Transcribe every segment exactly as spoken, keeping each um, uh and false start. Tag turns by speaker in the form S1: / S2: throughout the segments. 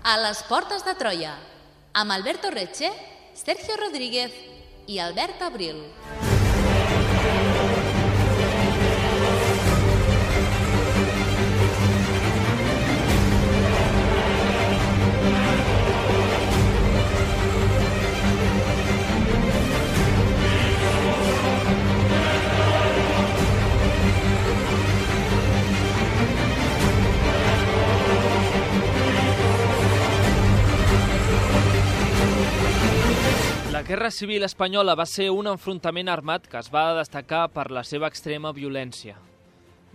S1: A les portes de Troia, amb Alberto Reche, Sergio Rodríguez i Albert Abril.
S2: La Guerra Civil Espanyola va ser un enfrontament armat que es va destacar per la seva extrema violència.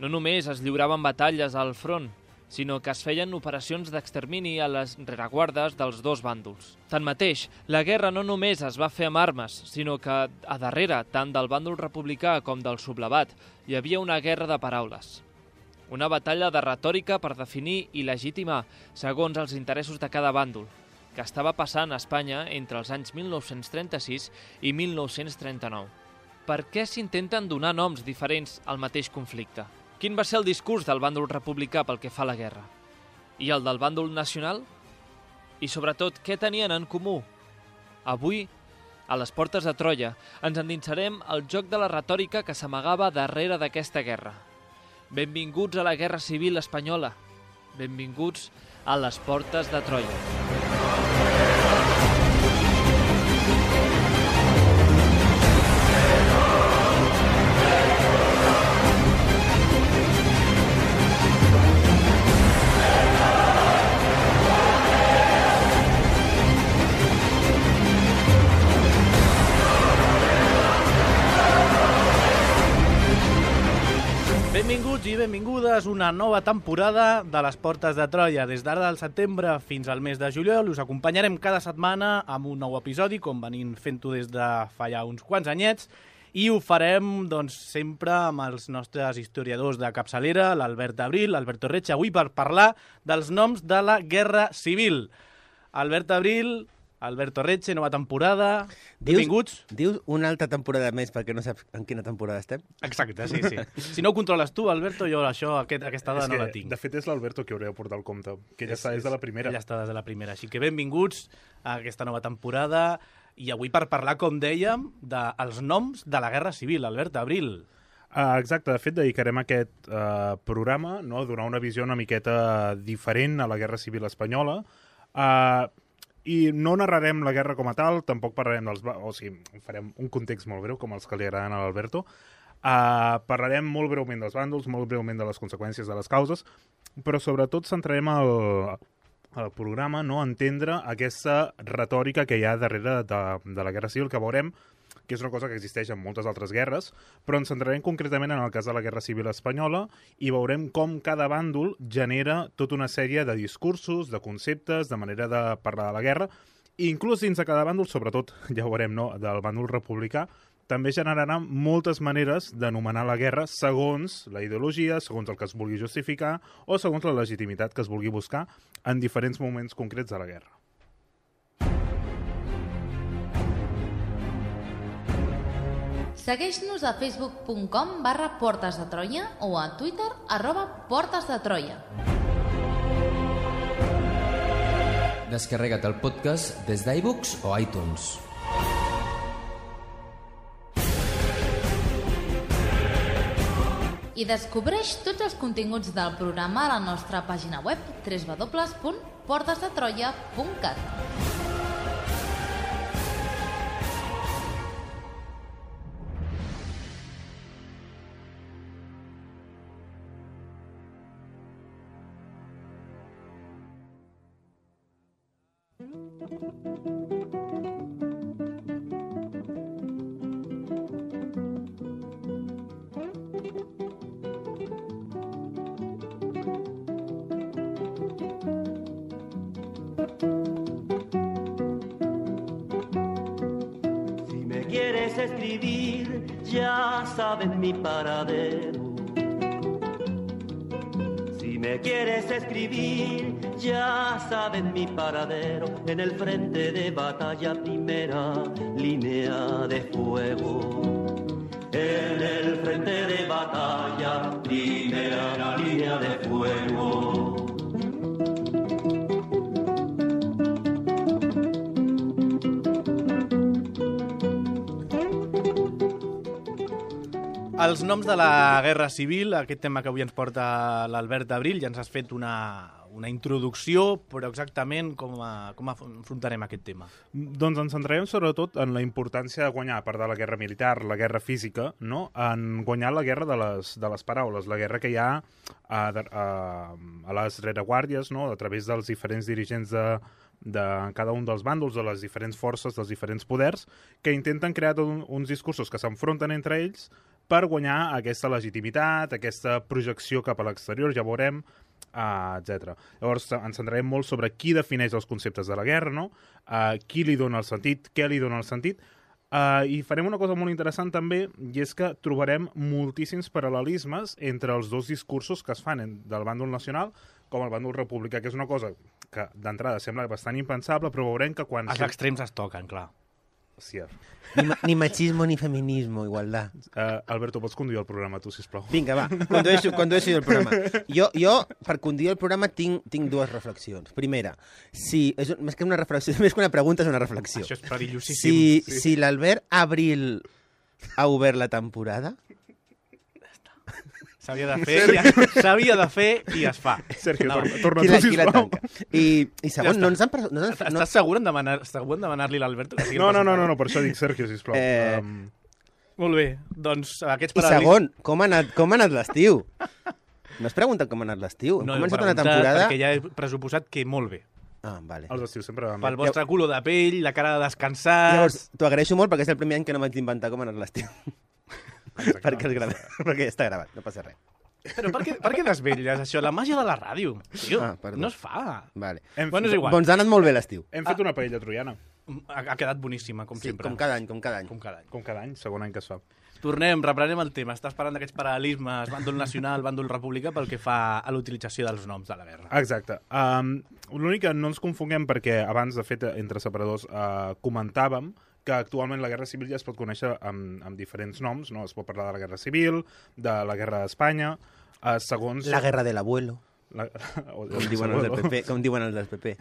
S2: No només es lliuraven batalles al front, sinó que es feien operacions d'extermini a les rereguardes dels dos bàndols. Tanmateix, la guerra no només es va fer amb armes, sinó que a darrere, tant del bàndol republicà com del sublevat, hi havia una guerra de paraules. Una batalla de retòrica per definir i legitimar, segons els interessos de cada bàndol, que estava passant a Espanya entre els anys mil nou-cents trenta-sis i mil nou-cents trenta-nou. Per què s'intenten donar noms diferents al mateix conflicte? Quin va ser el discurs del bàndol republicà pel que fa a la guerra? I el del bàndol nacional? I sobretot, què tenien en comú? Avui, a les portes de Troia, ens endinsarem al joc de la retòrica que s'amagava darrere d'aquesta guerra. Benvinguts a la Guerra Civil Espanyola. Benvinguts a les portes de Troia.
S3: Benvinguts i benvingudes a una nova temporada de les Portes de Troia. Des d'ara del setembre fins al mes de juliol us acompanyarem cada setmana amb un nou episodi, com venim fent-ho des de fa ja uns quants anyets, i ho farem doncs, sempre amb els nostres historiadors de capçalera, l'Albert Abril, l'Alberto Reche, avui per parlar dels noms de la Guerra Civil. Albert Abril, Alberto Reche, nova temporada, benvinguts.
S4: Dius una altra temporada més perquè no saps en quina temporada estem?
S3: Exacte, sí, sí. Si no ho controles tu, Alberto, jo això, aquest, aquesta dada no la tinc.
S5: De fet, és l'Alberto que hauria de portar el compte, que ja està des de la primera.
S3: Ja està des de la primera, així que benvinguts a aquesta nova temporada i avui per parlar, com dèiem, dels noms de la Guerra Civil, Albert Abril.
S5: Uh, exacte, de fet, dedicarem aquest uh, programa no, a donar una visió una miqueta diferent a la Guerra Civil Espanyola. Uh, I no narrarem la guerra com a tal, tampoc parlarem dels... O sigui, farem un context molt breu, com els que li agraden a l'Alberto. Uh, parlarem molt breument dels bàndols, molt breument de les conseqüències de les causes, però sobretot centrarem el, el programa no, a entendre aquesta retòrica que hi ha darrere de, de la Guerra Civil, que veurem que és una cosa que existeix en moltes altres guerres, però ens centrarem concretament en el cas de la Guerra Civil Espanyola i veurem com cada bàndol genera tota una sèrie de discursos, de conceptes, de manera de parlar de la guerra, i inclús dins de cada bàndol, sobretot, ja ho veurem, no, del bàndol republicà, també generarà moltes maneres d'anomenar la guerra segons la ideologia, segons el que es vulgui justificar o segons la legitimitat que es vulgui buscar en diferents moments concrets de la guerra.
S1: Segueix-nos a facebook punt com barra Portes de Troia o a Twitter arroba Portes de Troia.
S6: Descarrega't el podcast des d'iBooks o iTunes.
S1: I descobreix tots els continguts del programa a la nostra pàgina web w w w punt portes de troia punt cat.
S7: Si me quieres escribir, ya sabes mi paradero. Si me quieres escribir, ya sabes mi paradero. En el frente de batalla, primera línea de fuego. En el frente de batalla, primera línea de fuego.
S3: Els noms de la Guerra Civil, aquest tema que avui ens porta l'Albert Abril, ja ens has fet una, una introducció, però exactament com, a, com afrontarem aquest tema?
S5: Doncs ens centrarem sobretot en la importància de guanyar, a part de la guerra militar, la guerra física, no? En guanyar la guerra de les, de les paraules, la guerra que hi ha a, a, a les rereguàrdies, no? A través dels diferents dirigents de, de cada un dels bàndols, de les diferents forces, dels diferents poders, que intenten crear un, uns discursos que s'enfronten entre ells per guanyar aquesta legitimitat, aquesta projecció cap a l'exterior, ja veurem, uh, etcètera. Llavors ens centrarem molt sobre qui defineix els conceptes de la guerra, no? Uh, qui li dona el sentit, què li dona el sentit, uh, i farem una cosa molt interessant també, i és que trobarem moltíssims paral·lelismes entre els dos discursos que es fan del bàndol nacional com el bàndol republicà, que és una cosa que d'entrada sembla bastant impensable, però veurem que quan...
S3: Els extrems es toquen, clar.
S5: Sí.
S4: Ni, ni machismo ni feminismo, igualdad.
S5: Uh, Alberto, pots conduir el programa, tu, sisplau?
S4: Vinga, va, condueixo, condueixo el programa. Jo, jo, per conduir el programa, tinc, tinc dues reflexions. Primera, si, és més que una reflexió, més que una pregunta, és una reflexió.
S3: Això és perillosíssim.
S4: Si,
S3: sí.
S4: si l'Albert Abril ha obert la temporada...
S3: S'havia de fer, ja, s'havia de fer i es fa.
S5: Sergio,
S3: no.
S5: torna, torna
S4: qui
S5: tu,
S4: la, qui la
S5: sisplau.
S4: tanca. I, i segon,
S3: Ja
S4: no ens han... No, ens han- no,
S3: Estàs segur en demanar, segur en demanar-li a l'Alberto? que sigui el
S5: No, no, no,
S3: presentador?
S5: no, no, per això dic Sergio, sisplau.
S4: Eh,
S5: Um,
S3: Molt bé, doncs aquests
S4: I
S3: paral·lelismes...
S4: segon, com ha anat, com ha anat l'estiu? No has preguntat com ha anat l'estiu? Hem
S3: No, he
S4: començat una
S3: preguntat
S4: temporada...
S3: perquè ja he pressuposat que molt bé.
S4: Ah, vale.
S5: els estius sempre van
S3: Pel
S5: bé.
S3: vostre color de pell, la cara de descansar...
S4: Llavors, t'ho agraeixo molt perquè és el primer any que no m'haig d'inventar com ha anat l'estiu. perquè, és gra... perquè està gravat, no passa res.
S3: Però per què, per què desvetlles això? La màgia de la ràdio. Tio,
S4: Ah, perdó.
S3: no es fa.
S4: Vale.
S5: Hem,
S3: Bueno, és igual.
S4: Doncs ha anat molt bé l'estiu.
S5: hem fet una paella troiana,
S3: Ha, ha quedat boníssima, com
S4: Sí,
S3: sempre.
S4: com cada any, com cada any.
S3: Com cada any.
S5: com cada any, segon any que es fa.
S3: Tornem, reprenem el tema. Estàs parlant d'aquests paral·lelismes, bàndol nacional, bàndol republicà, pel que fa a l'utilització dels noms de la guerra.
S5: Exacte. Um, L'únic que no ens confonguem perquè abans, de fet, entre separadors uh, comentàvem que actualment la Guerra Civil ja es pot conèixer amb, amb diferents noms, no? Es pot parlar de la Guerra Civil, de la Guerra d'Espanya, uh, segons...
S4: La guerra del abuelo,
S5: La... o-
S4: com diuen els del P P. Com diuen els del P P.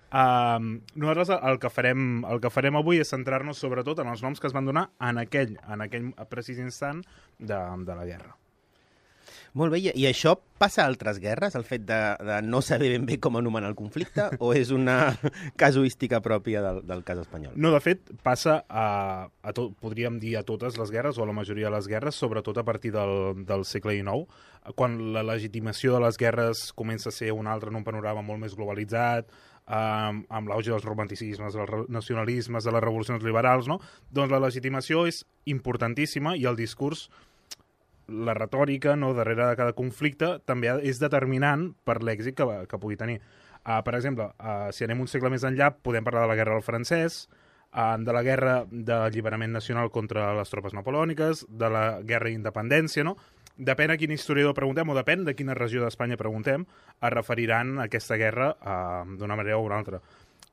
S5: Um, nosaltres el que, farem, el que farem avui és centrar-nos sobretot en els noms que es van donar en aquell, en aquell precís instant de, de la guerra.
S4: Molt bé, i i això passa a altres guerres, el fet de, de no saber ben bé com anomenar el conflicte, o és una casuística pròpia del, del cas espanyol?
S5: No, de fet, passa a, a tot, podríem dir a totes les guerres, o a la majoria de les guerres, sobretot a partir del, del segle dinou, quan la legitimació de les guerres comença a ser una altra en un panorama molt més globalitzat, um, amb l'auge dels romanticismes, dels nacionalismes, de les revolucions liberals, no? Doncs la legitimació és importantíssima i el discurs, la retòrica, no, darrere de cada conflicte també és determinant per l'èxit que, que pugui tenir. Uh, per exemple, uh, si anem un segle més enllà, podem parlar de la guerra del francès, uh, de la guerra d'alliberament nacional contra les tropes napoleòniques, de la guerra d'independència, no? Depèn a quin historiador preguntem o depèn de quina regió d'Espanya preguntem, es referiran a aquesta guerra uh, d'una manera o una altra.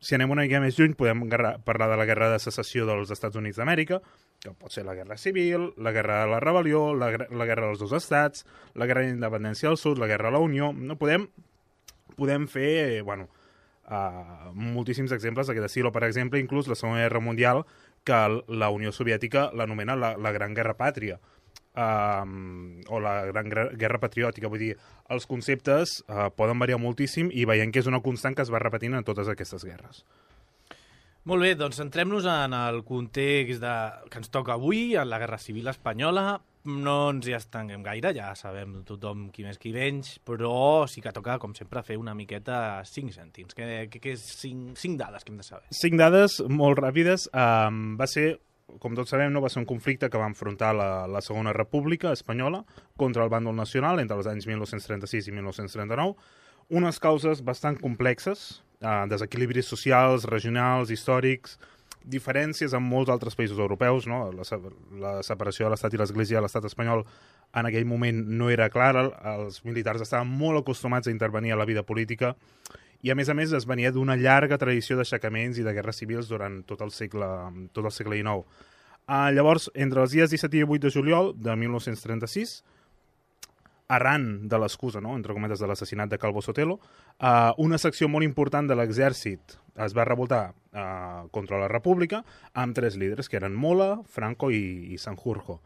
S5: Si anem una mica més lluny, podem parlar de la guerra de secessió dels Estats Units d'Amèrica, que pot ser la guerra civil, la guerra de la rebel·lió, la, la guerra dels dos estats, la guerra d'independència del sud, la guerra de la Unió... No podem, podem fer, bueno, uh, moltíssims exemples d'aquest estil, o per exemple, inclús la Segona Guerra Mundial, que la Unió Soviètica l'anomena la, la Gran Guerra Pàtria, uh, o la Gran Guerra Patriòtica. Vull dir, els conceptes uh, poden variar moltíssim i veiem que és una constant que es va repetint en totes aquestes guerres.
S3: Molt bé, doncs centrem-nos en el context de... que ens toca avui, en la Guerra Civil Espanyola. No ens hi estenguem gaire, ja sabem tothom qui més qui menys, però sí que toca, com sempre, fer una miqueta cinc cèntims. Què, què, què és cinc, cinc dades que hem de saber?
S5: Cinc dades molt ràpides. Um, va ser, com tots sabem, no va ser un conflicte que va enfrontar la, la Segona República Espanyola contra el bàndol nacional entre els anys mil nou-cents trenta-sis i mil nou-cents trenta-nou. Unes causes bastant complexes, uh, desequilibris socials, regionals, històrics, diferències amb molts altres països europeus, no? La, la separació de l'Estat i l'Església de l'Estat espanyol en aquell moment no era clara, els militars estaven molt acostumats a intervenir a la vida política i, a més a més, es venia d'una llarga tradició d'aixecaments i de guerres civils durant tot el segle, tot el segle dinou. Uh, llavors, entre els dies disset i divuit de juliol de mil nou-cents trenta-sis, arran de l'excusa, no?, entre cometes, de l'assassinat de Calvo Sotelo, uh, una secció molt important de l'exèrcit es va revoltar uh, contra la República amb tres líders, que eren Mola, Franco i, i Sanjurjo.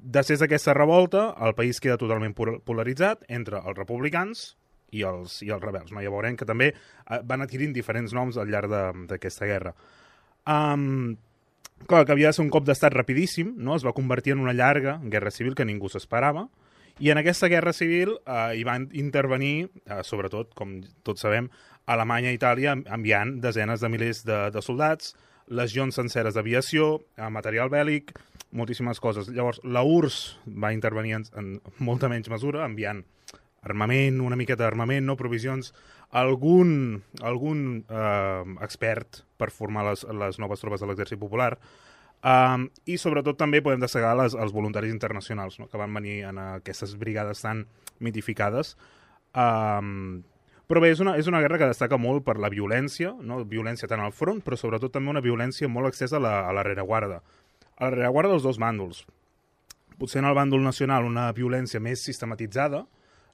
S5: després d'aquesta revolta, el país queda totalment polaritzat entre els republicans i els, i els rebels. No? Ja veurem que també van adquirint diferents noms al llarg d'aquesta guerra. Um, clar, que havia de ser un cop d'estat rapidíssim, no? Es va convertir en una llarga guerra civil que ningú s'esperava, i en aquesta guerra civil eh, hi van intervenir, eh, sobretot, com tots sabem, Alemanya i Itàlia enviant desenes de milers de, de soldats, legions senceres d'aviació, eh, material bèl·lic, moltíssimes coses. Llavors, la U R S S va intervenir en, en molta menys mesura, enviant armament, una miqueta d'armament, no provisions, algun, algun eh, expert per formar les, les noves tropes de l'exèrcit popular, um, i sobretot també podem destacar les, els voluntaris internacionals, no? Que van venir en aquestes brigades tan mitificades. Um, però bé, és una, és una guerra que destaca molt per la violència, no? Violència tant al front, però sobretot també una violència molt extensa a la, a la rereguarda. A la rereguarda dels dos bàndols. Potser en el bàndol nacional una violència més sistematitzada,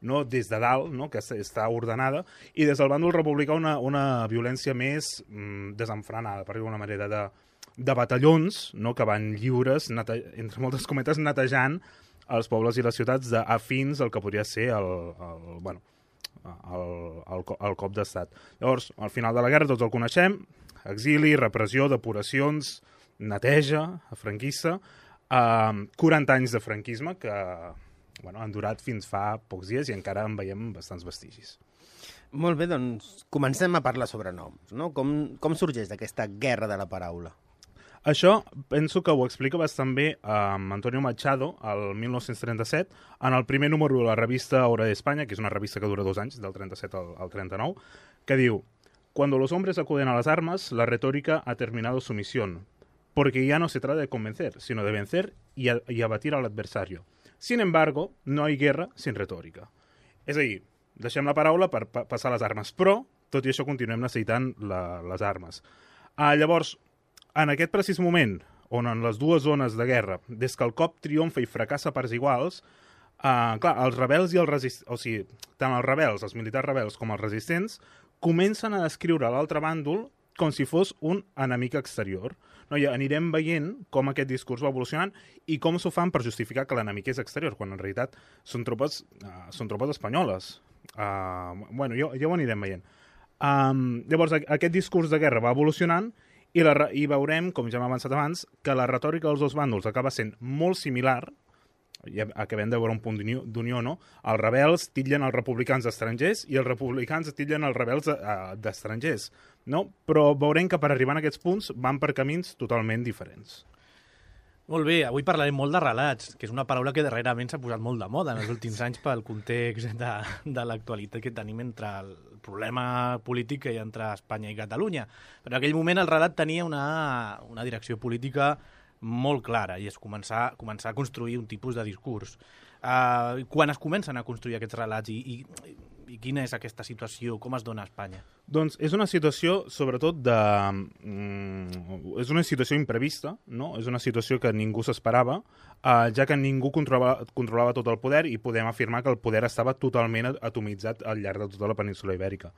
S5: no? Des de dalt, no? Que està ordenada, i des del bàndol republicà una, una violència més mm, desenfrenada, per dir d'una manera, de, de batallons, no? Que van lliures, nete... entre moltes cometes, netejant els pobles i les ciutats d'afins al que podria ser el, el, bueno, el, el, el cop d'estat. Llavors, al final de la guerra tots el coneixem, exili, repressió, depuracions, neteja franquista, eh, quaranta anys de franquisme que bueno, han durat fins fa pocs dies i encara en veiem bastants vestigis.
S4: Molt bé, doncs comencem a parlar sobre noms, no? Com, com sorgeix d'aquesta guerra de la paraula?
S5: Això penso que ho explica bastant bé amb Antonio Machado el mil nou-cents trenta-set, en el primer número de la revista Hora de España, que és una revista que dura dos anys, del trenta-set al, al trenta-nou, que diu: «Cuando los hombres acuden a las armas, la retórica ha terminado su misión, porque ya no se trata de convencer, sino de vencer y, a, y abatir al adversario. Sin embargo, no hay guerra sin retòrica». És a dir, deixem la paraula per pa passar les armes, però, tot i això, continuem necessitant la, les armes. Ah, llavors, en aquest precís moment, on en les dues zones de guerra, des que el cop triomfa i fracassa a parts iguals, ah, clar, els rebels i els resistents, o sigui, tant els rebels, els militars rebels, com els resistents, comencen a descriure l'altre bàndol com si fos un enemic exterior. No, ja anirem veient com aquest discurs va evolucionant i com s'ho fan per justificar que l'enemic és exterior, quan en realitat són tropes, uh, són tropes espanyoles. Uh, bueno, ja, ja ho anirem veient. Um, llavors, aquest discurs de guerra va evolucionant i, la, i veurem, com ja hem avançat abans, que la retòrica dels dos bàndols acaba sent molt similar. Ja acabem de veure un punt d'unió, no? Els rebels titllen els republicans estrangers i els republicans titllen els rebels d'estrangers, no? Però veurem que per arribar a aquests punts van per camins totalment diferents.
S3: Molt bé, avui parlarem molt de relats, que és una paraula que darrerament s'ha posat molt de moda en els últims anys pel context de, de l'actualitat que tenim entre el problema polític que hi ha entre Espanya i Catalunya. Però en aquell moment el relat tenia una, una direcció política molt clara, i és començar, començar a construir un tipus de discurs. Uh, quan es comencen a construir aquests relats i, i, i quina és aquesta situació, com es dona a Espanya?
S5: Doncs és una situació, sobretot, de... Mm, és una situació imprevista, no? És una situació que ningú s'esperava, uh, ja que ningú controlava, controlava tot el poder i podem afirmar que el poder estava totalment atomitzat al llarg de tota la península Ibèrica.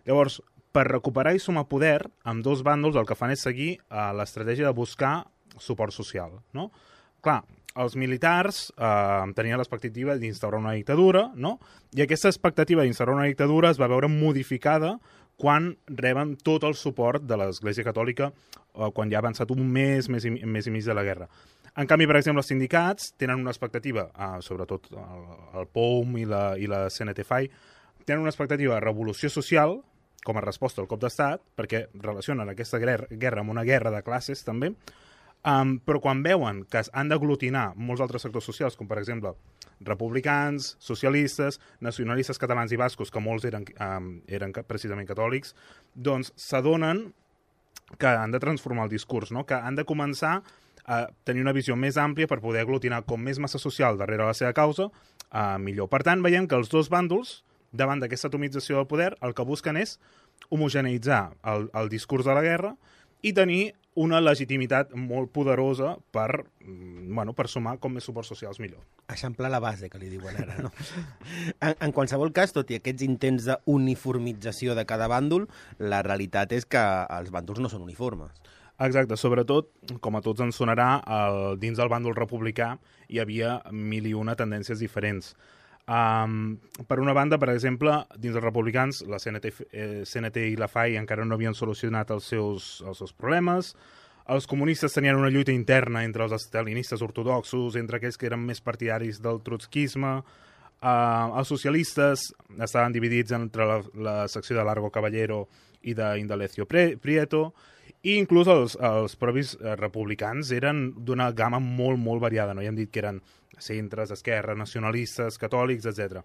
S5: Llavors, per recuperar i sumar poder, amb dos bàndols el que fan és seguir uh, l'estratègia de buscar suport social, no? Clar, els militars eh, tenien l'expectativa d'instaurar una dictadura, no? I aquesta expectativa d'instaurar una dictadura es va veure modificada quan reben tot el suport de l'Església Catòlica eh, quan ja ha avançat un mes, mes i, mes i mig de la guerra. En canvi, per exemple, els sindicats tenen una expectativa, eh, sobretot el, el P O M i la, i la C N T F A I, tenen una expectativa de revolució social com a resposta al cop d'estat, perquè relacionen aquesta guerra amb una guerra de classes, també. Um, però quan veuen que han d'aglutinar molts altres sectors socials, com per exemple republicans, socialistes, nacionalistes catalans i bascos, que molts eren, um, eren precisament catòlics, doncs s'adonen que han de transformar el discurs, no? Que han de començar a tenir una visió més àmplia per poder aglutinar com més massa social darrere la seva causa, uh, millor. Per tant, veiem que els dos bàndols, davant d'aquesta atomització del poder, el que busquen és homogeneïtzar el, el discurs de la guerra i tenir una legitimitat molt poderosa per, bueno, per sumar com més suports socials millor.
S4: Eixamplar la base, que li diuen ara, no? en, en qualsevol cas, tot i aquests intents d'uniformització de cada bàndol, la realitat és que els bàndols no són uniformes.
S5: Exacte, sobretot, com a tots ens sonarà, el, dins del bàndol republicà hi havia mil i una tendències diferents. Um, per una banda, per exemple, dins dels republicans, la C N T, eh, C N T i la F A I encara no havien solucionat els seus, els seus problemes. Els comunistes tenien una lluita interna entre els estalinistes ortodoxos, entre aquells que eren més partidaris del trotskisme. Uh, els socialistes estaven dividits entre la, la secció de Largo Caballero i d'Indalecio Prieto, i inclús els, els propis republicans eren d'una gamma molt, molt variada. No? Ja hem dit que eren centres, esquerra, nacionalistes, catòlics, etcètera.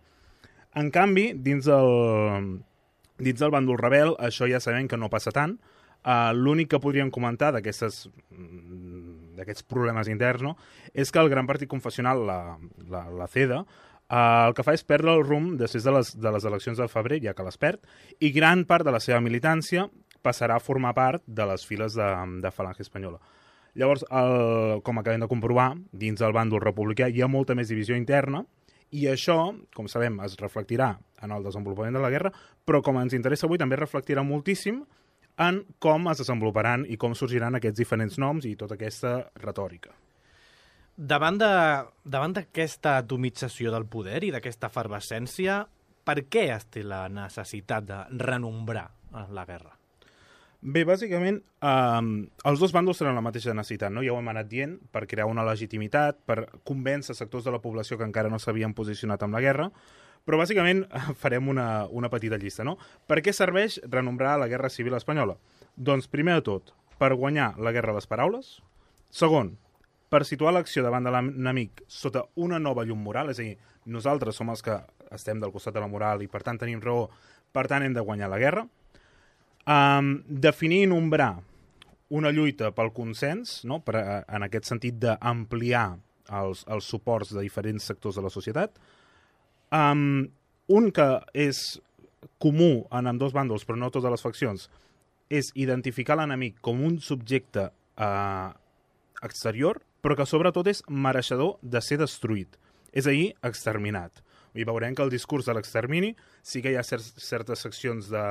S5: En canvi, dins del, dins del bàndol rebel, això ja sabem que no passa tant. Uh, L'únic que podríem comentar d'aquests problemes interns, no? És que el gran partit confessional, la, la, la CEDA, uh, el que fa és perdre el rumb després de les, de les eleccions del febrer, ja que les perd, i gran part de la seva militància passarà a formar part de les files de, de Falange Espanyola. Llavors, el, com acabem de comprovar, dins del bàndol republicà hi ha molta més divisió interna, i això, com sabem, es reflectirà en el desenvolupament de la guerra, però com ens interessa avui també reflectirà moltíssim en com es desenvoluparan i com sorgiran aquests diferents noms i tota aquesta retòrica.
S3: Davant d'aquesta atomització del poder i d'aquesta efervescència, per què es té la necessitat de renombrar la guerra?
S5: Bé, bàsicament, eh, els dos bàndols tenen la mateixa necessitat, no? Ja ho hem anat dient, per crear una legitimitat, per convèncer sectors de la població que encara no s'havien posicionat amb la guerra, però bàsicament farem una, una petita llista, no? Per què serveix renombrar la Guerra Civil Espanyola? Doncs, primer de tot, per guanyar la guerra a les paraules. Segon, per situar l'acció davant de l'enemic sota una nova llum moral, és a dir, nosaltres som els que estem del costat de la moral i per tant tenim raó, per tant hem de guanyar la guerra. Um, definir i nombrar una lluita pel consens, no? Per, en aquest sentit d'ampliar els, els suports de diferents sectors de la societat. Um, un que és comú en ambdós bàndols, però no totes les faccions, és identificar l'enemic com un subjecte uh, exterior, però que sobretot és mereixedor de ser destruït, és a dir, exterminat. I veurem que el discurs de l'extermini sí que hi ha certes seccions de,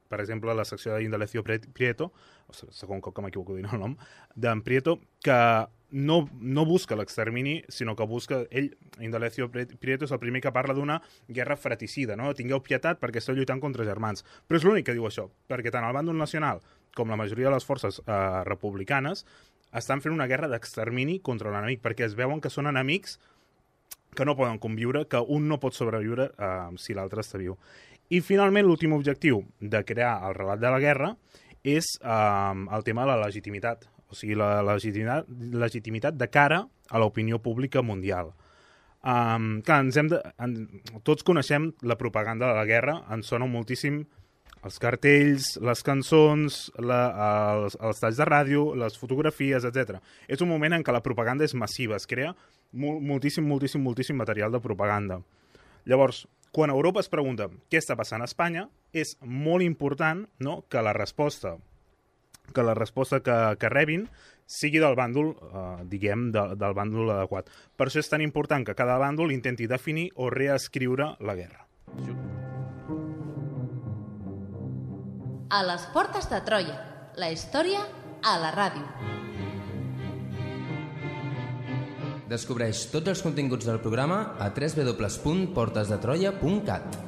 S5: per exemple, la secció d'Indalecio Prieto, o segon cop que m'equivoco dient el nom, d'en Prieto, que no, no busca l'extermini, sinó que busca, ell, Indalecio Prieto, és el primer que parla d'una guerra fratricida, no? Tingueu pietat perquè esteu lluitant contra germans. Però és l'únic que diu això, perquè tant el bàndol nacional com la majoria de les forces eh, republicanes estan fent una guerra d'extermini contra l'enemic, perquè es veuen que són enemics que no poden conviure, que un no pot sobreviure eh, si l'altre està viu. I finalment l'últim objectiu de crear el relat de la guerra és eh, el tema de la legitimitat, o sigui, la legitimitat, legitimitat de cara a l'opinió pública mundial. Um, clar, ens hem de, en, tots coneixem la propaganda de la guerra, ens sona moltíssim els cartells, les cançons, la, els, els talls de ràdio, les fotografies, etcètera. És un moment en què la propaganda és massiva, es crea moltíssim, moltíssim, moltíssim material de propaganda. Llavors, quan Europa es pregunta què està passant a Espanya, és molt important, no?, que la resposta que la resposta que, que rebin sigui del bàndol, eh, diguem, de, del bàndol adequat. Per això és tan important que cada bàndol intenti definir o reescriure la guerra.
S1: A les portes de Troia, la història a la ràdio.
S6: Descobreix tots els continguts del programa a w w w punt portes de troia punt cat.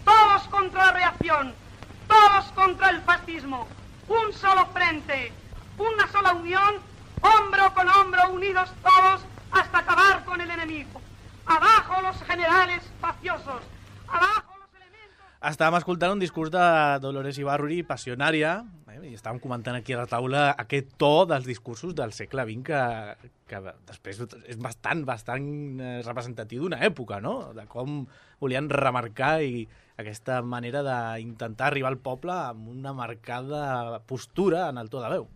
S8: todos contra la reacción, todos contra el fascismo, un solo frente, una sola unión, hombro con hombro, unidos todos hasta acabar con el enemigo. Abajo los generales faciosos, abajo los elementos...
S3: Estàvem escoltant un discurs de Dolores Ibarruri, passionària, eh, i estàvem comentant aquí a la taula aquest to dels discursos del segle vint que, que després és bastant, bastant representatiu d'una època, no? De com volien remarcar i aquesta manera d'intentar arribar al poble amb una marcada postura en el to de veu.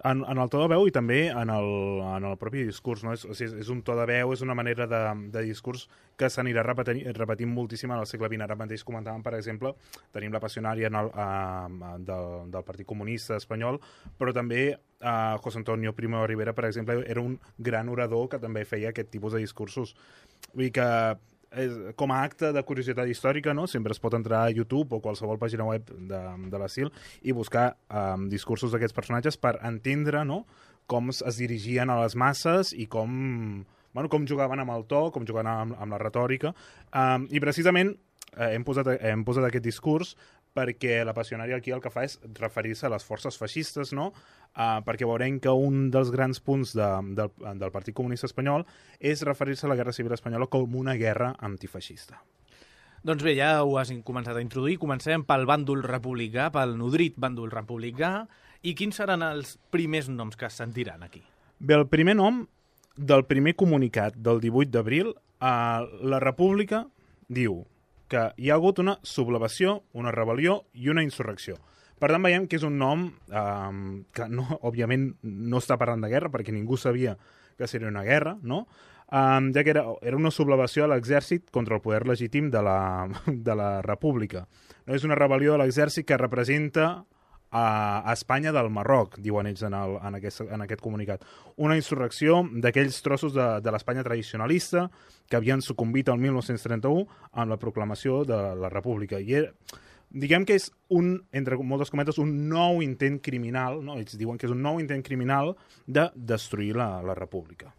S5: En, en el to de veu i també en el, en el propi discurs, no? És, o sigui, és un to de veu, és una manera de, de discurs que s'anirà repetint, repetint moltíssim en el segle vint. Ara mateix comentàvem, per exemple, tenim la passionària en el, uh, del, del Partit Comunista Espanyol, però també uh, José Antonio Primo de Rivera, per exemple, era un gran orador que també feia aquest tipus de discursos. Vull dir que és, com a acte de curiositat històrica, no? Sempre es pot entrar a YouTube o qualsevol pàgina web de, de la S I L i buscar um, discursos d'aquests personatges per entendre, no?, com es dirigien a les masses i com, bueno, com jugaven amb el to, com jugaven amb, amb la retòrica. Um, I precisament eh, hem, posat, hem posat aquest discurs perquè la passionària aquí el que fa és referir-se a les forces feixistes, no? Uh, perquè veurem que un dels grans punts de, del, del Partit Comunista Espanyol és referir-se a la Guerra Civil Espanyola com una guerra antifeixista.
S3: Doncs bé, ja ho has començat a introduir. Comencem pel bàndol republicà, pel nodrit bàndol republicà. I quins seran els primers noms que es sentiran aquí?
S5: Bé, el primer nom del primer comunicat del divuit d'abril, uh, la República diu que hi ha hagut una sublevació, una rebel·lió i una insurrecció. Per tant, veiem que és un nom um, que, no, òbviament, no està parlant de guerra, perquè ningú sabia que seria una guerra, no? Um, ja que era, era una sublevació a l'exèrcit contra el poder legítim de la, de la República. No és una rebel·lió de l'exèrcit que representa a Espanya del Marroc, diuen ells en, el, en, aquest, en aquest comunicat. Una insurrecció d'aquells trossos de, de l'Espanya tradicionalista que havien sucumbit el mil nou-cents trenta-u amb la proclamació de la República. I era, diguem que és un, entre moltes cometes, un nou intent criminal, no? Ells diuen que és un nou intent criminal de destruir la, la República.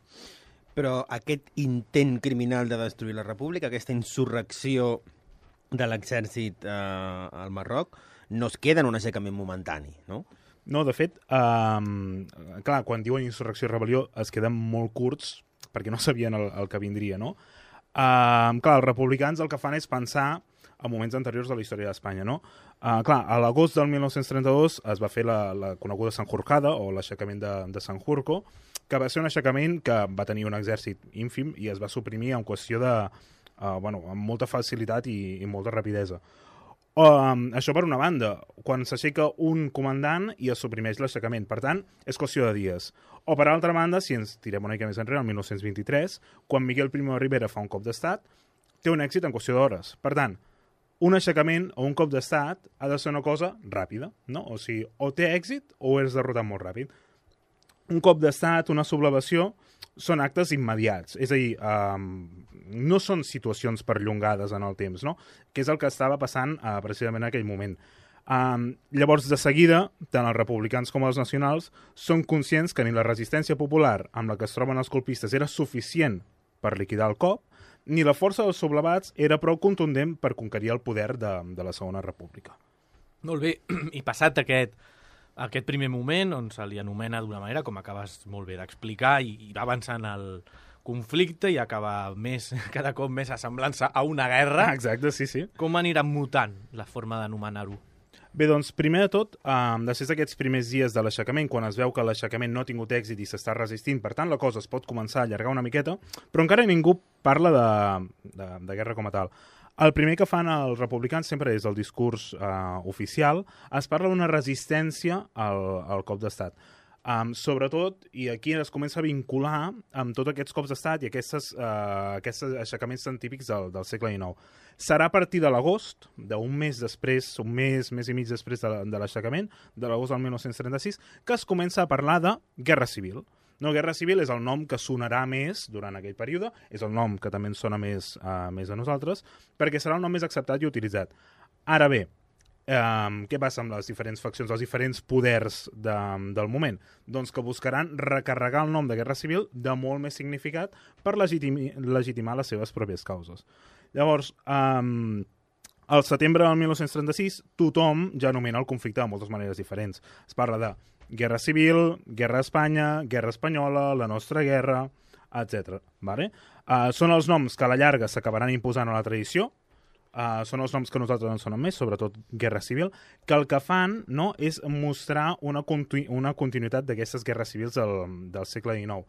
S4: Però aquest intent criminal de destruir la República, aquesta insurrecció de l'exèrcit eh, al Marroc, no es queda en un aixecament momentani, no?
S5: No, de fet, um, clar, quan diuen insurrecció i rebel·lió es queden molt curts perquè no sabien el, el que vindria, no? Um, clar, els republicans el que fan és pensar a moments anteriors de la història d'Espanya, no? Uh, clar, a l'agost del mil nou-cents trenta-dos es va fer la, la coneguda Sanjurjada, o l'aixecament de, de Sanjurjo, que va ser un aixecament que va tenir un exèrcit ínfim i es va suprimir en qüestió de, uh, bueno, amb molta facilitat i, i molta rapidesa. Um, això per una banda, quan s'aixeca un comandant i es suprimeix l'aixecament. Per tant, és qüestió de dies. O per altra banda, si ens tirem una mica més enrere, el mil nou-cents vint-i-tres, quan Miguel Primo de Rivera fa un cop d'estat, té un èxit en qüestió d'hores. Per tant, un aixecament o un cop d'estat ha de ser una cosa ràpida, no? O sigui, o té èxit o és derrotat molt ràpid. Un cop d'estat, una sublevació, són actes immediats, és a dir, um, no són situacions perllongades en el temps, no? Que és el que estava passant uh, precisament en aquell moment. Um, llavors, de seguida, tant els republicans com els nacionals són conscients que ni la resistència popular amb la que es troben els colpistes era suficient per liquidar el cop, ni la força dels sublevats era prou contundent per conquerir el poder de, de la Segona República.
S3: Molt bé, i passat aquest, aquest primer moment, on se li anomena d'una manera, com acabes molt bé d'explicar, i, i va avançant el conflicte i acaba més, cada cop més assemblant-se a una guerra.
S5: Exacte, sí, sí.
S3: Com anirà mutant la forma d'anomenar-ho?
S5: Bé, doncs, primer de tot, um, després d'aquests primers dies de l'aixecament, quan es veu que l'aixecament no ha tingut èxit i s'està resistint, per tant, la cosa es pot començar a allargar una miqueta, però encara ningú parla de, de, de guerra com a tal. El primer que fan els republicans sempre és el discurs uh, oficial, es parla d'una resistència al, al cop d'estat. Um, sobretot, i aquí es comença a vincular amb tots aquests cops d'estat i aquestes, uh, aquests aixecaments tan típics del, del segle dinou. Serà a partir de l'agost, d'un mes després, un mes, mes i mig després de, de l'aixecament, de l'agost del mil nou-cents trenta-sis, que es comença a parlar de guerra civil. No, guerra civil és el nom que sonarà més durant aquell període, és el nom que també ens sona més, uh, més a nosaltres, perquè serà el nom més acceptat i utilitzat. Ara bé, Um, què passa amb les diferents faccions, els diferents poders de, del moment? Doncs que buscaran recarregar el nom de guerra civil de molt més significat per legitimi, legitimar les seves pròpies causes. Llavors, um, Al setembre del mil nou-cents trenta-sis, tothom ja anomena el conflicte de moltes maneres diferents. Es parla de guerra civil, guerra a Espanya, guerra espanyola, la nostra guerra, etcètera. Vale? Uh, són els noms que a la llarga s'acabaran imposant a la tradició, Uh, són els noms que nosaltres ens sonen més, sobretot Guerra Civil, que el que fan, no, és mostrar una, continu una continuïtat d'aquestes guerres civils del, del segle dinou.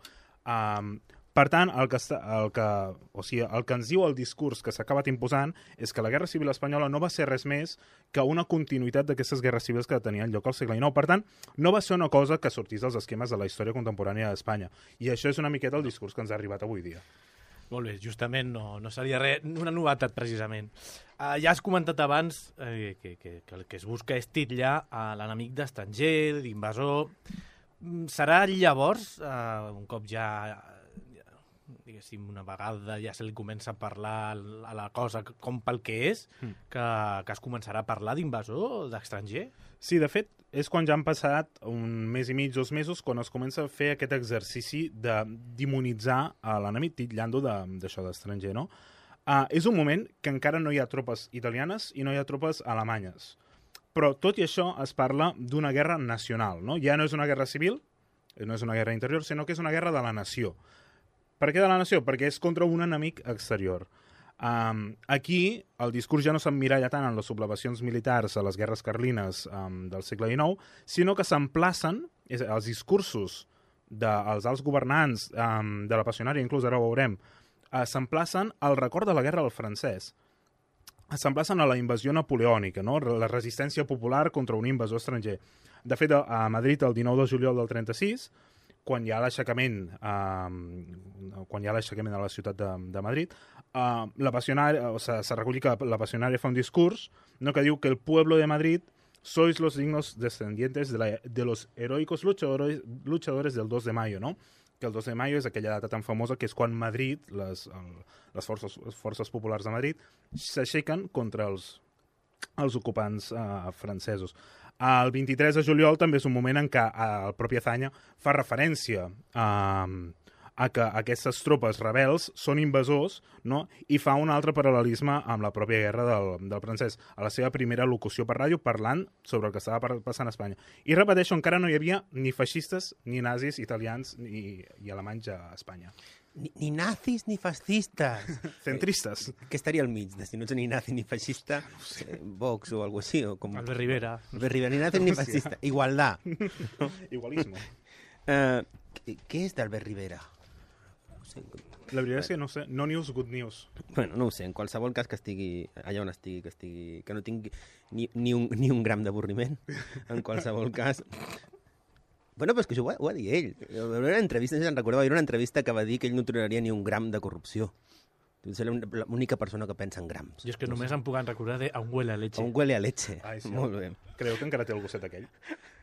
S5: Um, per tant, el que, està, el, que, o sigui, el que ens diu el discurs que s'ha acabat imposant és que la Guerra Civil espanyola no va ser res més que una continuïtat d'aquestes guerres civils que tenien lloc al segle dinou. Per tant, no va ser una cosa que sortís dels esquemes de la història contemporània d'Espanya. I això és una miqueta el discurs que ens ha arribat avui dia.
S3: Molt bé, justament no, no seria res, una novetat, precisament. Uh, ja has comentat abans eh, que, que, que el que es busca és titllar a l'enemic d'estranger, d'invasor. Serà llavors, uh, un cop ja, ja, diguéssim, una vegada ja se li comença a parlar a la cosa com pel que és, mm. que, que es començarà a parlar d'invasor, d'astranger?
S5: Sí, de fet, és quan ja han passat un mes i mig, dos mesos, quan es comença a fer aquest exercici de demonitzar a l'enemic, titllant-ho d'això d'estranger, no? Uh, és un moment que encara no hi ha tropes italianes i no hi ha tropes alemanyes. Però, tot i això, es parla d'una guerra nacional, no? Ja no és una guerra civil, no és una guerra interior, sinó que és una guerra de la nació. Per què de la nació? Perquè és contra un enemic exterior. Um, aquí el discurs ja no s'emmiralla tant en les sublevacions militars a les guerres carlines um, del segle dinou, sinó que s'emplacen els discursos dels alts governants, um, de la passionària, inclús ara ho veurem, uh, s'emplacen al record de la guerra del francès. S'emplacen a la invasió napoleònica, no? La resistència popular contra un invasor estranger. De fet, a Madrid, el dinou de juliol del trenta-sis, quan hi ha l'aixecament eh, quan hi ha l'aixecament a la ciutat de, de Madrid, eh, la passionària, o sea, se recull que la passionària fa un discurs, no, que diu que el pueblo de Madrid sois los dignos descendientes de, la, de los heroicos luchadores, luchadores del dos de mayo, no? Que el dos de mayo és aquella data tan famosa que és quan Madrid, les, el, les, forces, les forces populars de Madrid, s'aixequen contra els, els ocupants eh, francesos. El vint-i-tres de juliol també és un moment en què el propi Azaña fa referència a, a que aquestes tropes rebels són invasors, no? I fa un altre paral·lelisme amb la pròpia guerra del, del francès, a la seva primera locució per ràdio parlant sobre el que estava passant a Espanya. I repeteixo, encara no hi havia ni feixistes, ni nazis italians ni, i alemanys a Espanya.
S4: Ni, ni nazis ni fascistes.
S5: Centristes.
S4: Eh, què estaria al mig? De si no ets ni nazi ni feixista, no sé. eh, Vox o alguna així. O com...
S3: Albert Rivera.
S4: Albert Rivera, ni nazi ni fascista. Igualdad.
S5: No? Igualisme.
S4: Uh, què és d'Albert Rivera? No sé.
S5: La veritat és que no sé. No news, good news.
S4: Bueno, no ho sé. En qualsevol cas que estigui allà on estigui, que estigui, que no tingui ni, ni, un, ni un gram d'avorriment. En qualsevol cas... Bueno, però és que això ho va, ho va dir ell. Una entrevista, no sé si en recordeu, era una entrevista que va dir que ell no toleraria ni un gram de corrupció. És l'única persona que pensa en grams.
S3: Jo és que no només sé. Em puc recordar de a un huele a leche.
S4: A un huele a leche.
S5: Ai, sí.
S4: Molt bé.
S5: Creu que encara té el gosset aquell?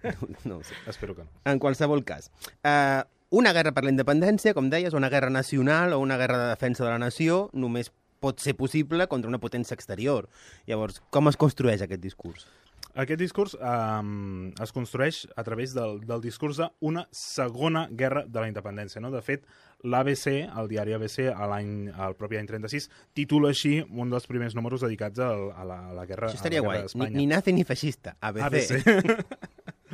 S4: No, no ho sé.
S5: Espero que no.
S4: En qualsevol cas. Uh, una guerra per la independència, com deies, una guerra nacional o una guerra de defensa de la nació, només pot ser possible contra una potència exterior. Llavors, com es construeix aquest discurs?
S5: Aquest discurs um, es construeix a través del, del discurs d'una segona guerra de la independència. No? De fet, l'A B C, el diari A B C, l'any, el propi any trenta-sis, titula així un dels primers números dedicats a, a, la, a la guerra,
S4: això estaria
S5: a la guerra d'Espanya.
S4: Ni, ni nazi ni feixista, A B C.
S5: A B C.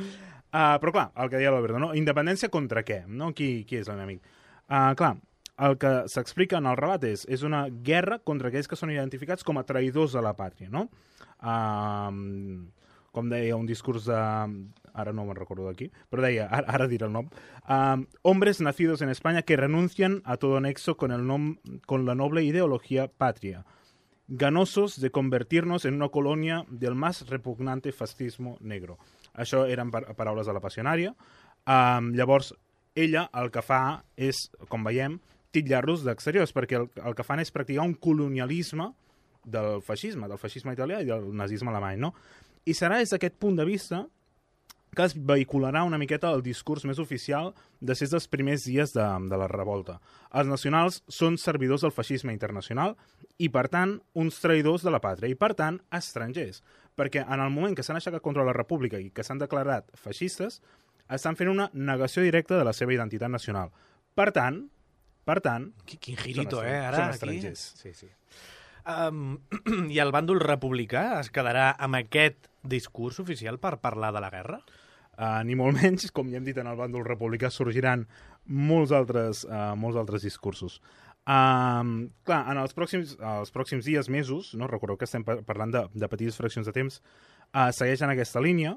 S5: uh, però clar, el que deia l'Alberto, no? Independència contra què? No? Qui, qui és l'enemic? Uh, clar, el que s'explica en el relat és, és una guerra contra aquells que són identificats com a traïdors de la pàtria, no? Uh, com deia, un discurs de... Ara no me'n recordo d'aquí, però deia, ara, ara diré el nom. Uh, hombres nacidos en España que renuncian a todo nexo con, el nom, con la noble ideología patria, ganosos de convertirnos en una colonia del más repugnante fascismo negro. Això eren par paraules de la passionària. Uh, llavors, ella el que fa és, com veiem, titllar-los d'exteriors, perquè el, el que fan és practicar un colonialisme del feixisme, del feixisme italià i del nazisme alemany, no? I serà des d'aquest punt de vista que es vehicularà una miqueta el discurs més oficial de ser dels primers dies de, de la revolta. Els nacionals són servidors del feixisme internacional i, per tant, uns traïdors de la pàtria i, per tant, estrangers. Perquè en el moment que s'han aixecat contra la república i que s'han declarat feixistes, estan fent una negació directa de la seva identitat nacional. Per tant, per tant...
S3: Quin girito, eh, ara,
S5: són estrangers.
S3: aquí. Sí, sí. Um, I el bàndol republicà es quedarà amb aquest discurs oficial per parlar de la guerra?
S5: Uh, ni molt menys, com ja hem dit, en el bàndol republicà sorgiran molts altres, uh, molts altres discursos. Um, clar, en els pròxims, els pròxims dies, mesos, no? Recordeu que estem parlant de, de petites fraccions de temps, uh, segueixen aquesta línia,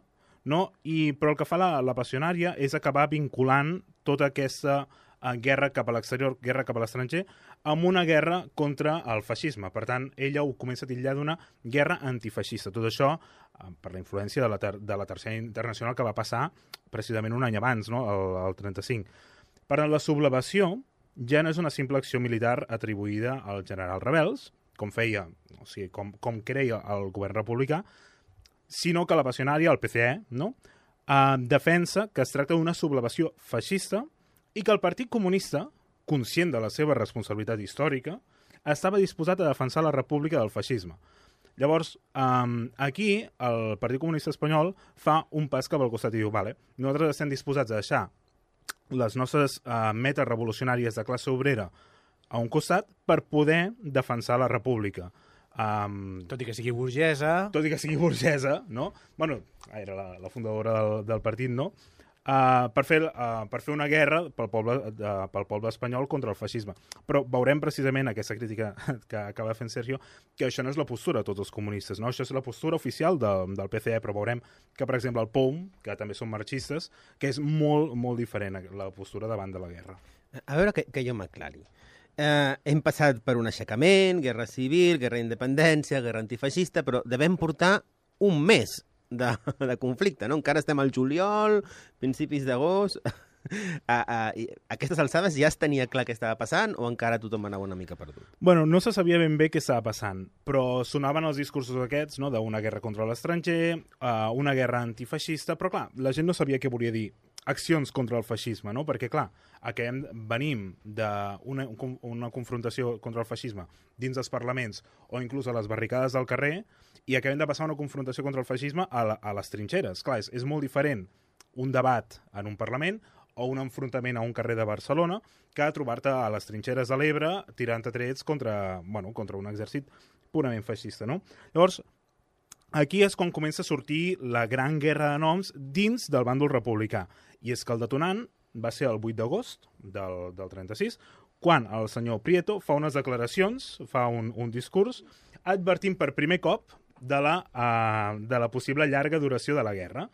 S5: no? I, però el que fa la, la passionària és acabar vinculant tota aquesta uh, guerra cap a l'exterior, guerra cap a l'estranger, amb una guerra contra el feixisme. Per tant, ella ho comença a titllar d'una guerra antifeixista. Tot això uh, per la influència de la, ter de la Tercera Internacional que va passar precisament un any abans, no? el, el trenta-cinc. Per tant, la sublevació ja no és una simple acció militar atribuïda als generals rebels, com feia, o sigui, com, com creia el govern republicà, sinó que la passionària, el P C E, no? eh, defensa que es tracta d'una sublevació feixista i que el Partit Comunista, conscient de la seva responsabilitat històrica, estava disposat a defensar la república del feixisme. Llavors, um, aquí el Partit Comunista Espanyol fa un pas cap al costat i diu, vale, nosaltres estem disposats a deixar les nostres uh, metes revolucionàries de classe obrera a un costat per poder defensar la república. Um,
S3: tot i que sigui burgesa...
S5: Tot i que sigui burgesa, no? Bueno, era la, la fundadora del, del partit, no? Uh, per, fer, uh, per fer una guerra pel poble, uh, pel poble espanyol contra el feixisme. Però veurem precisament aquesta crítica que acaba fent Sergio, que això no és la postura de tots els comunistes, no? Això és la postura oficial de, del P C E, però veurem que, per exemple, el P O M, que també són marxistes, que és molt, molt diferent la postura davant de la guerra.
S4: A veure que, que jo m'aclari. Uh, hem passat per un aixecament, guerra civil, guerra d'independència, guerra antifeixista, però devem portar un mes de, de conflicte, no? Encara estem al juliol, principis d'agost... A, a, a aquestes alçades ja es tenia clar què estava passant o encara tothom anava una mica perdut?
S5: Bueno, no se sabia ben bé què estava passant, però sonaven els discursos aquests, no?, d'una guerra contra l'estranger, uh, una guerra antifeixista, però clar, la gent no sabia què volia dir accions contra el feixisme, no? Perquè clar, acabem, venim d'una una confrontació contra el feixisme dins dels parlaments o inclús a les barricades del carrer i acabem de passar una confrontació contra el feixisme a, la, a les trinxeres. Clar, és, és molt diferent un debat en un Parlament o un enfrontament a un carrer de Barcelona que trobar-te a les trinxeres de l'Ebre tirant a trets contra, bueno, contra un exèrcit purament feixista, no? Llavors, aquí és quan comença a sortir la gran guerra de noms dins del bàndol republicà. I és que el detonant va ser el vuit d'agost del, del trenta-sis, quan el senyor Prieto fa unes declaracions, fa un, un discurs, advertint per primer cop de la, uh, de la possible llarga duració de la guerra.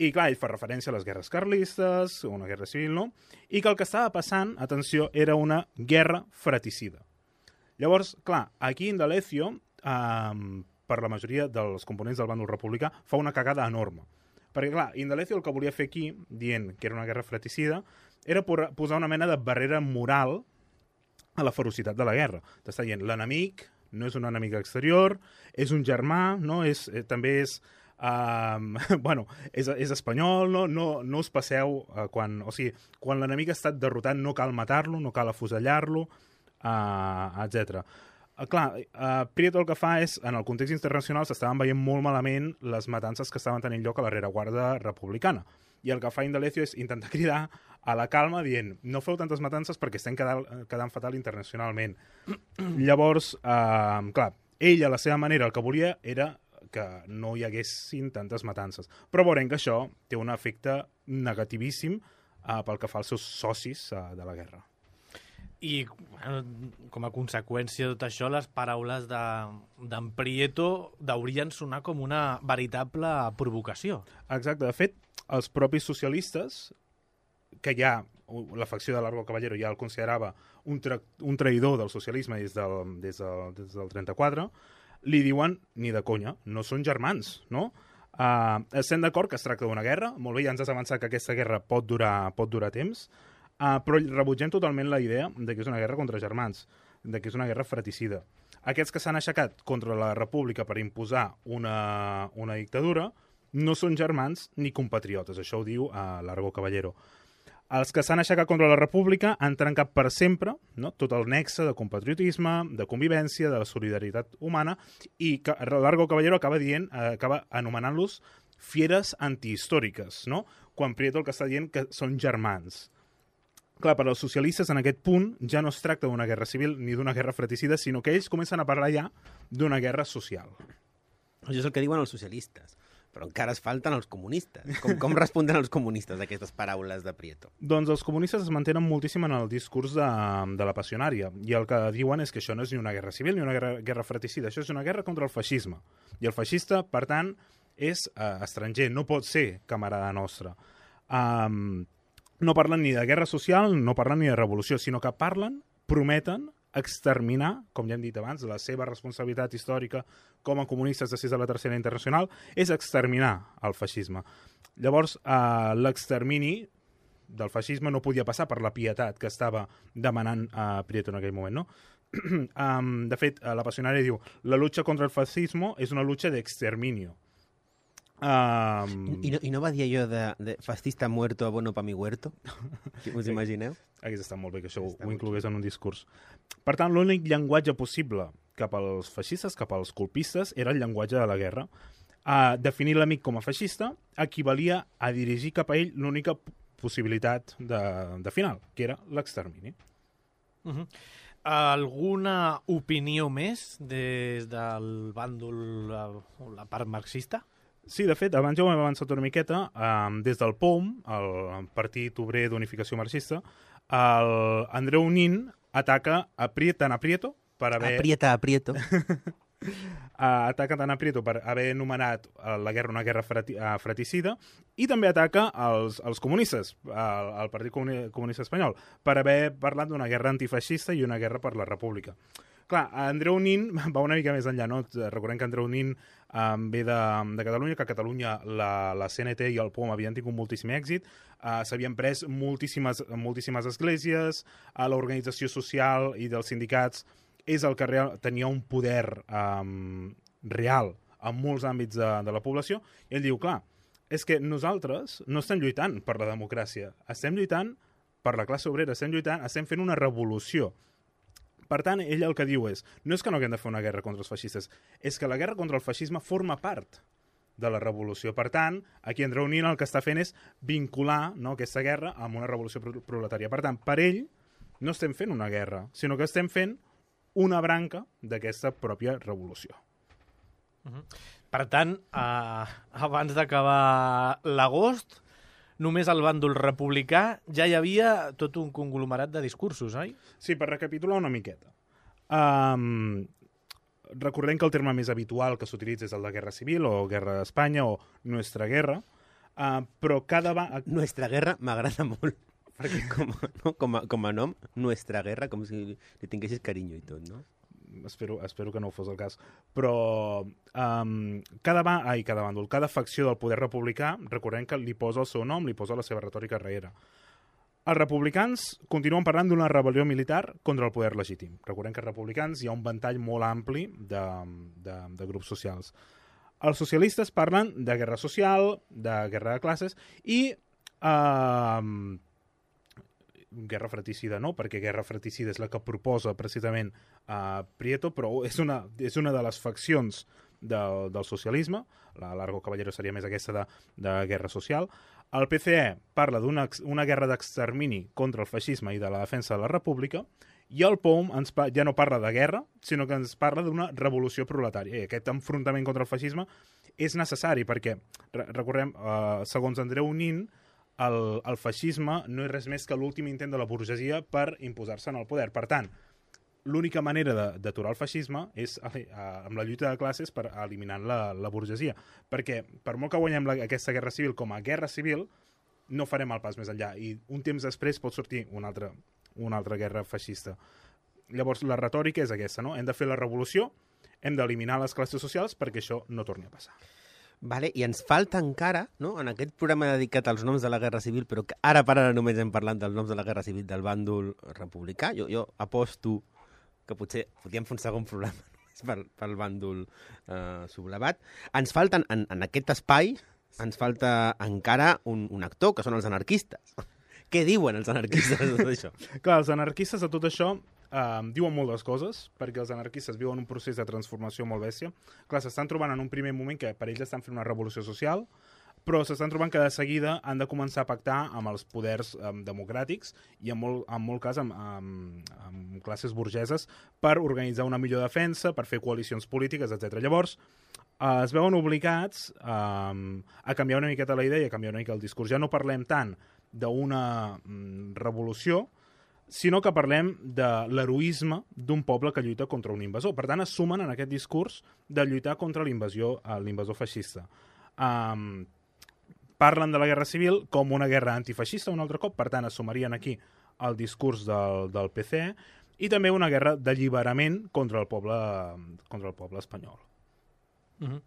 S5: I clar, ell fa referència a les guerres carlistes, una guerra civil, no? I que el que estava passant, atenció, era una guerra fratricida. Llavors, clar, aquí Indalecio, eh, per la majoria dels components del bàndol republicà, fa una cagada enorme. Perquè, clar, Indalecio el que volia fer aquí, dient que era una guerra fratricida, era posar una mena de barrera moral a la ferocitat de la guerra. T'està dient, l'enemic no és un enemic exterior, és un germà, no? És, eh, també és... Um, bueno, és, és espanyol, no, no, no us passeu uh, quan, o sigui, quan l'enemic ha estat derrotat no cal matar-lo, no cal afusellar-lo, uh, etcètera. Uh, clar, uh, Prieto el que fa és, en el context internacional s'estaven veient molt malament les matances que estaven tenint lloc a la rereguarda republicana. I el que fa Indalecio és intentar cridar a la calma dient no feu tantes matances perquè estem quedant, quedant fatal internacionalment. Llavors, uh, clar, ell a la seva manera el que volia era que no hi haguessin tantes matances. Però veurem que això té un efecte negativíssim uh, pel que fa als seus socis uh, de la guerra.
S3: I bueno, com a conseqüència de tot això, les paraules d'en Prieto deurien sonar com una veritable provocació.
S5: Exacte. De fet, els propis socialistes, que ja la facció de Largo Caballero ja el considerava un, tra un traïdor del socialisme des del, des del, des del trenta-quatre, li diuen, ni de conya, no són germans, no? Uh, estem d'acord que es tracta d'una guerra, molt bé, ja ens has avançat que aquesta guerra pot durar, pot durar temps, uh, però rebutgem totalment la idea de que és una guerra contra germans, de que és una guerra fratricida. Aquests que s'han aixecat contra la república per imposar una, una dictadura no són germans ni compatriotes, això ho diu uh, Largo Caballero. Els que s'han aixecat contra la república han trencat per sempre, no?, tot el nexe de compatriotisme, de convivència, de la solidaritat humana, i que Largo Caballero acaba dient, eh, acaba anomenant-los fieres antihistòriques, no?, quan Prieto el que està dient que són germans. Clar, per als socialistes en aquest punt ja no es tracta d'una guerra civil ni d'una guerra fratricida, sinó que ells comencen a parlar ja d'una guerra social.
S4: Això és el que diuen els socialistes, però encara es falten els comunistes. Com, com responden els comunistes a aquestes paraules de Prieto?
S5: Doncs els comunistes es mantenen moltíssim en el discurs de, de la passionària, i el que diuen és que això no és ni una guerra civil ni una guerra, guerra fratricida, això és una guerra contra el feixisme. I el feixista, per tant, és eh, estranger, no pot ser camarada nostre. Um, no parlen ni de guerra social, no parlen ni de revolució, sinó que parlen, prometen exterminar, com ja hem dit abans, la seva responsabilitat històrica com a comunistes després de la Tercera Internacional és exterminar el feixisme. Llavors, eh, l'extermini del feixisme no podia passar per la pietat que estava demanant a eh, Prieto en aquell moment, no? um, de fet, la passionària diu la lucha contra el fascismo és una lucha de exterminio. Um...
S4: I, no, I no va dir allò de, de fascista muerto abono pa mi huerto? Us sí. Imagineu?
S5: Hagués estat molt bé que això ho, ho inclogués en un discurs. Per tant, l'únic llenguatge possible cap als feixistes, cap als colpistes, era el llenguatge de la guerra. Uh, definir l'amic com a feixista equivalia a dirigir cap a ell l'única possibilitat de, de final, que era l'extermini.
S3: Uh-huh. Alguna opinió més des del bàndol, la, la part marxista?
S5: Sí, de fet, abans ja ho hem avançat una miqueta, eh, des del P O M, el Partit Obrer d'Unificació Marxista, el Andreu Nin ataca a Prieto, tant a Prieto per haver...
S4: Aprieta, aprieto.
S5: ataca tant a Prieto per haver anomenat la guerra una guerra frati, uh, fratricida, i també ataca els, els comunistes, el, el Partit Comunista Espanyol, per haver parlat d'una guerra antifeixista i una guerra per la República. Clar, Andreu Nin va una mica més enllà, no? Recordem que Andreu Nin um, ve de, de Catalunya, que a Catalunya la, la C N T i el P O M havien tingut moltíssim èxit, uh, s'havien pres moltíssimes, moltíssimes esglésies, a l'organització social i dels sindicats és el que real, tenia un poder um, real en molts àmbits de, de la població, i ell diu, clar, és que nosaltres no estem lluitant per la democràcia, estem lluitant per la classe obrera, estem lluitant, estem fent una revolució. Per tant, ell el que diu és, no és que no haguem de fer una guerra contra els feixistes, és que la guerra contra el feixisme forma part de la revolució. Per tant, aquí Andreu Nin el que està fent és vincular, no, aquesta guerra amb una revolució proletària. Per tant, per ell no estem fent una guerra, sinó que estem fent una branca d'aquesta pròpia revolució.
S3: Uh-huh. Per tant, eh, abans d'acabar l'agost, només al bàndol republicà ja hi havia tot un conglomerat de discursos, oi?
S5: Sí, per recapitular una miqueta. Um, recordem que el terme més habitual que s'utilitza és el de guerra civil o guerra d'Espanya o nuestra guerra, uh, però cada... Va...
S4: Nuestra guerra m'agrada molt. Perquè com, no, com, a, com a nom, nuestra guerra, com si li tinguessis carinyo i tot, no?
S5: Espero, espero que no fos el cas. Però um, cada, ba ai, cada bàndol, cada facció del poder republicà, recordem que li posa el seu nom, li posa la seva retòrica darrere. Els republicans continuen parlant d'una rebel·lió militar contra el poder legítim. Recordem que els republicans hi ha un ventall molt ampli de, de, de grups socials. Els socialistes parlen de guerra social, de guerra de classes i... Uh, guerra fratricida no, perquè guerra fratricida és la que proposa precisament uh, Prieto, però és una, és una de les faccions del, del socialisme, la Largo Caballero seria més aquesta de, de guerra social. El P C E parla d'una una guerra d'extermini contra el feixisme i de la defensa de la república, i el P O M ens ja no parla de guerra, sinó que ens parla d'una revolució proletària. I aquest enfrontament contra el feixisme és necessari perquè, recordem, uh, segons Andreu Nin, El, el feixisme no és res més que l'últim intent de la burgesia per imposar-se en el poder. Per tant, l'única manera d'aturar el feixisme és a, a, amb la lluita de classes per eliminar la, la burgesia. Perquè, per molt que guanyem la, aquesta guerra civil com a guerra civil, no farem el pas més enllà. I un temps després pot sortir una altra, una altra guerra feixista. Llavors, la retòrica és aquesta, no? Hem de fer la revolució, hem d'eliminar les classes socials perquè això no torni a passar.
S4: Vale, i ens falta encara, no, en aquest programa dedicat als noms de la Guerra Civil, però que ara per ara només hem parlat dels noms de la Guerra Civil del bàndol republicà, jo, jo aposto que potser podríem fer un segon programa només pel, pel bàndol eh, sublevat. Ens falten, en, en aquest espai, ens falta encara un, un actor, que són els anarquistes. Què diuen els anarquistes de tot això?
S5: Clar, els anarquistes de tot això Uh, diuen moltes coses, perquè els anarquistes viuen un procés de transformació molt bèstia. Clar, s'estan trobant en un primer moment que per ells estan fent una revolució social, però s'estan trobant que de seguida han de començar a pactar amb els poders um, democràtics i en molt, en molt cas amb, amb, amb classes burgeses per organitzar una millor defensa, per fer coalicions polítiques, etcètera. Llavors, uh, es veuen obligats um, a canviar una miqueta la idea i a canviar una mica el discurs. Ja no parlem tant d'una um, revolució, sinó que parlem de l'heroisme d'un poble que lluita contra un invasor. Per tant, es sumen en aquest discurs de lluitar contra l'invasió, l'invasor feixista. Um, parlen de la guerra civil com una guerra antifeixista un altre cop, per tant, es sumarien aquí el discurs del, del P C E i també una guerra d'alliberament contra el poble, contra el poble espanyol.
S3: Uh-huh.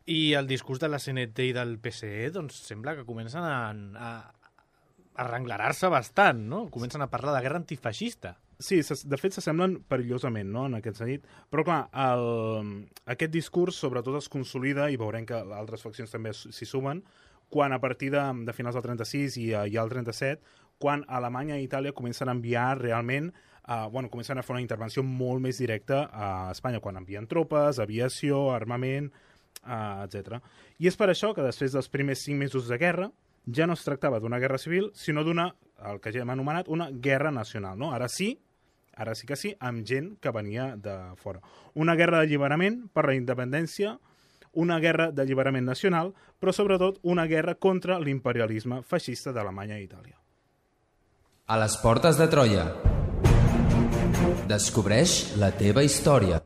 S3: I el discurs de la C N T i del P S E, doncs sembla que comencen a, a arrenglarar-se bastant, no? Comencen a parlar de guerra antifeixista.
S5: Sí, de fet s'assemblen perillosament, no?, en aquest sentit. Però clar, el, aquest discurs sobretot es consolida, i veurem que altres faccions també s'hi sumen, quan a partir de, de finals del trenta-sis i, i al trenta-set, quan Alemanya i Itàlia comencen a enviar realment, uh, bueno, comencen a fer una intervenció molt més directa a Espanya, quan envien tropes, aviació, armament, uh, etcètera. I és per això que després dels primers cinc mesos de guerra ja no es tractava d'una guerra civil, sinó d'una, el que ja hem anomenat, una guerra nacional, no? Ara sí, ara sí que sí, amb gent que venia de fora. Una guerra d'alliberament per la independència, una guerra d'alliberament nacional, però sobretot una guerra contra l'imperialisme feixista d'Alemanya i Itàlia.
S6: A les portes de Troia. Descobreix la teva història.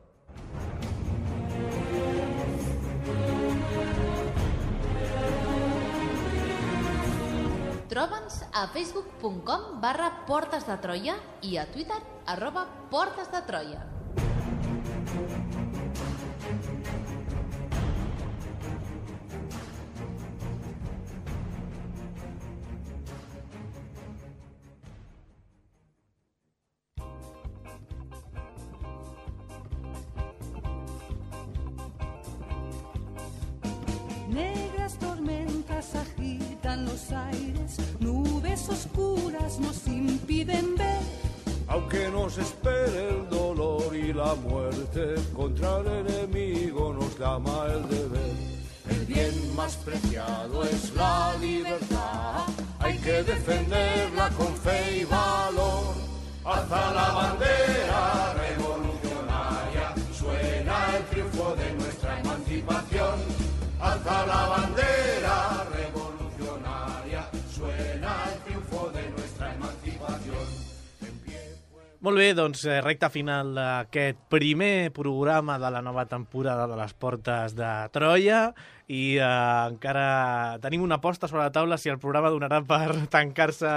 S1: Troba'ns a facebook punt com barra Portes de Troia i a Twitter arroba Portes de Troia.
S9: Negras tormentas agitan los aires, nubes oscuras nos impiden ver.
S10: Aunque nos espere el dolor y la muerte, contra el enemigo nos llama el deber. El bien más preciado es la libertad, hay que defenderla con fe y valor. Alza la bandera revolucionaria, suena el triunfo de nuestra emancipación. Alza la bandera revolucionaria, suena el triunfo de nuestra emancipación.
S3: Molt bé, doncs recta final d'aquest primer programa de la nova temporada de les Portes de Troia i eh, encara tenim una aposta sobre la taula si el programa donarà per tancar-se.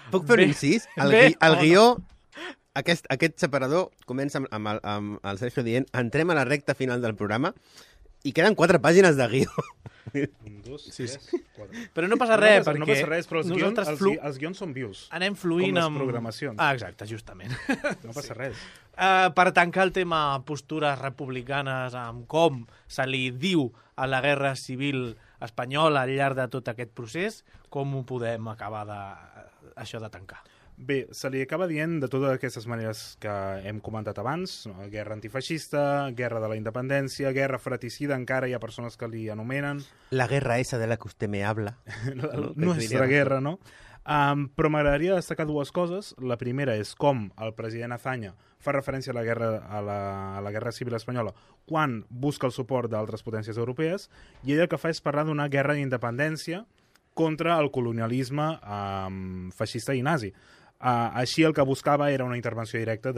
S4: Puc fer un incís? El,
S3: bé,
S4: gui el guió, aquest, aquest separador comença amb, amb, el, amb el Sergio dient entrem a la recta final del programa i queden quatre pàgines de guió.
S5: Un, dos,
S3: Sí,
S5: tres,
S3: sí.
S5: quatre.
S3: Però no passa res,
S5: no passa,
S3: perquè
S5: no passa res, però els guions,
S3: nosaltres
S5: els,
S3: flu...
S5: gui- els guions són vius.
S3: anem fluint
S5: Com les
S3: amb...
S5: programacions.
S3: Ah, exacte, justament.
S5: No passa
S3: Sí.
S5: res.
S3: Uh, per tancar el tema postures republicanes amb com se li diu a la guerra civil espanyola al llarg de tot aquest procés, com ho podem acabar de, això de tancar?
S5: Bé, se li acaba dient de totes aquestes maneres que hem comentat abans, no? Guerra antifeixista, guerra de la independència, guerra fratricida, encara hi ha persones que li anomenen.
S4: La guerra esa de la que usted me habla.
S5: La nostra guerra, no? Um, però m'agradaria destacar dues coses. La primera és com el president Azaña fa referència a la guerra, a la, a la guerra civil espanyola quan busca el suport d'altres potències europees, i ell el que fa és parlar d'una guerra d'independència contra el colonialisme um, feixista i nazi. Uh, així el que buscava era una intervenció directa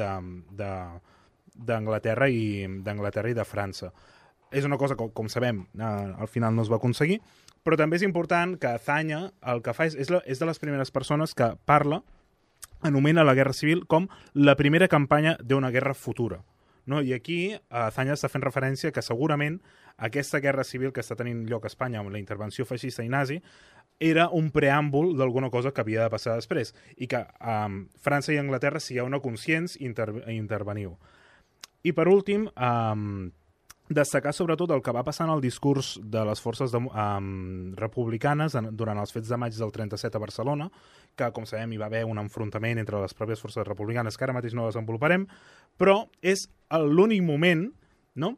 S5: d'Anglaterra i d'Anglaterra i de França. És una cosa que, com sabem, uh, al final no es va aconseguir, però també és important que Azaña el que fa és, és, la, és de les primeres persones que parla, anomena la guerra civil com la primera campanya d'una guerra futura. No? I aquí Azaña està fent referència que segurament aquesta guerra civil que està tenint lloc a Espanya amb la intervenció feixista i nazi era un preàmbul d'alguna cosa que havia de passar després i que um, França i Anglaterra sigueu una conscients i inter interveniu. I per últim, um, destacar sobretot el que va passar en el discurs de les forces de, um, republicanes en, durant els fets de maig del trenta-set a Barcelona, que, com sabem, hi va haver un enfrontament entre les pròpies forces republicanes, que ara mateix no desenvoluparem, però és l'únic moment, no?,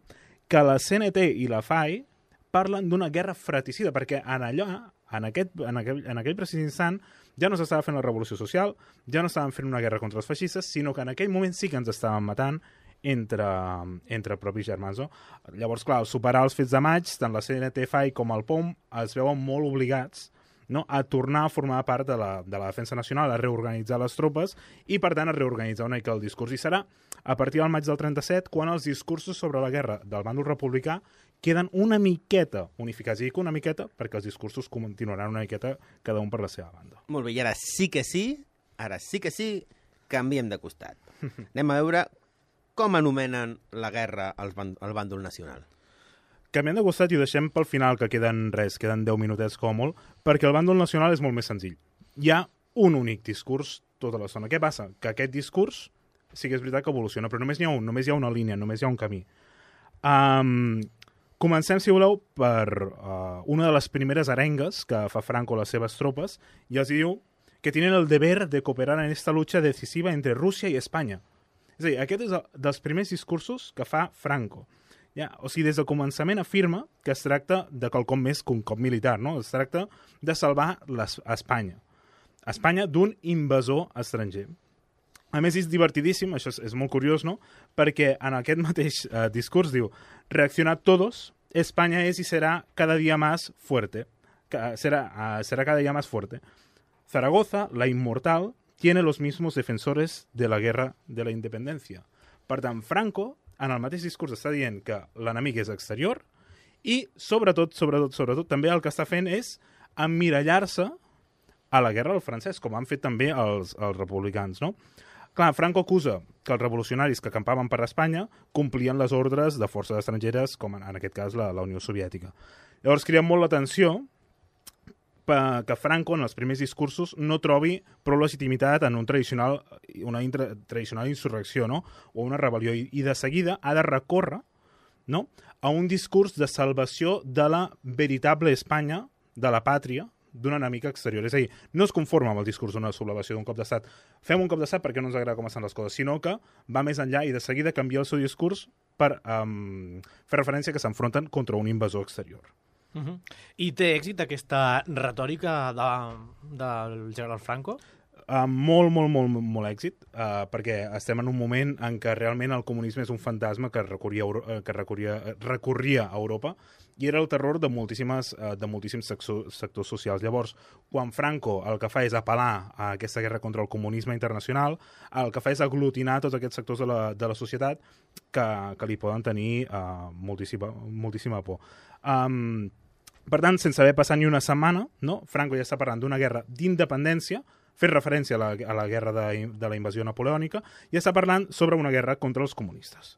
S5: que la C N T i la F A I parlen d'una guerra fratricida, perquè en allò, en aquest, en aquell, en aquell precís instant ja no s'estava fent la revolució social, ja no estaven fent una guerra contra els feixistes, sinó que en aquell moment sí que ens estaven matant entre, entre propis germans. No? Llavors, clar, al superar els fets de maig, tant la C N T F A I com el P O M es veuen molt obligats, no?, a tornar a formar part de la, de la defensa nacional, a reorganitzar les tropes i, per tant, a reorganitzar una mica el discurs. I serà a partir del maig del trenta-set quan els discursos sobre la guerra del bàndol republicà queden una miqueta unificats. I dic una miqueta perquè els discursos continuaran una miqueta cada un per la seva banda.
S4: Molt bé, i ara sí que sí, ara sí que sí, canviem de costat. Anem a veure com anomenen la guerra al bàndol nacional.
S5: Canviem de costat i ho deixem pel final, que queden res, queden deu minutets com molt, perquè el bàndol nacional és molt més senzill. Hi ha un únic discurs tota l'estona. Què passa? Que aquest discurs sí que és veritat que evoluciona, però només hi ha un, només hi ha una línia, només hi ha un camí. Um, comencem, si voleu, per uh, una de les primeres arengues que fa Franco a les seves tropes, i els diu que tenen el deber de cooperar en esta lucha decisiva entre Rússia i Espanya. És a dir, aquest és el, dels primers discursos que fa Franco. Ja, o sigui, des del començament afirma que es tracta de quelcom més que un cop militar, no? Es tracta de salvar les, Espanya. Espanya d'un invasor estranger. A més, és divertidíssim, això és, és molt curiós, no? Perquè en aquest mateix eh, discurs diu reaccionar todos, España es y será cada día más fuerte. Será, uh, será cada día más fuerte. Zaragoza, la inmortal, tiene los mismos defensores de la guerra de la independencia. Per tant, Franco, en el mateix discurs, està dient que l'enemic és exterior i, sobretot, sobretot, sobretot, també el que està fent és emmirallar-se a la guerra del francès, com han fet també els, els republicans, no? Clar, Franco acusa que els revolucionaris que acampaven per Espanya complien les ordres de forces estrangeres, com en, en aquest cas la, la Unió Soviètica. Llavors crida molt l'atenció que Franco, en els primers discursos, no trobi prou legitimitat en un tradicional, una intra, tradicional insurrecció, no? O una rebel·lió, i, i de seguida ha de recórrer, no?, a un discurs de salvació de la veritable Espanya, de la pàtria, d'un enemic exterior. És a dir, no es conforma amb el discurs d'una sublevació, d'un cop d'estat. Fem un cop d'estat perquè no ens agrada com estan les coses, sinó que va més enllà i de seguida canvia el seu discurs per um, fer referència que s'enfronten contra un invasor exterior.
S3: Uh-huh. I té èxit aquesta retòrica de, del general Franco?
S5: Uh, molt, molt, molt, molt èxit, uh, perquè estem en un moment en què realment el comunisme és un fantasma que recorria, que recorria, recorria a Europa i era el terror de, moltíssimes, uh, de moltíssims sectors socials. Llavors, quan Franco el que fa és apel·lar a aquesta guerra contra el comunisme internacional, el que fa és aglutinar tots aquests sectors de la, de la societat que, que li poden tenir uh, moltíssima, moltíssima por. Um, per tant, sense haver passat ni una setmana, no? Franco ja està parlant d'una guerra d'independència, fer referència a la, a la guerra de, de la invasió napoleònica, i està parlant sobre una guerra contra els comunistes.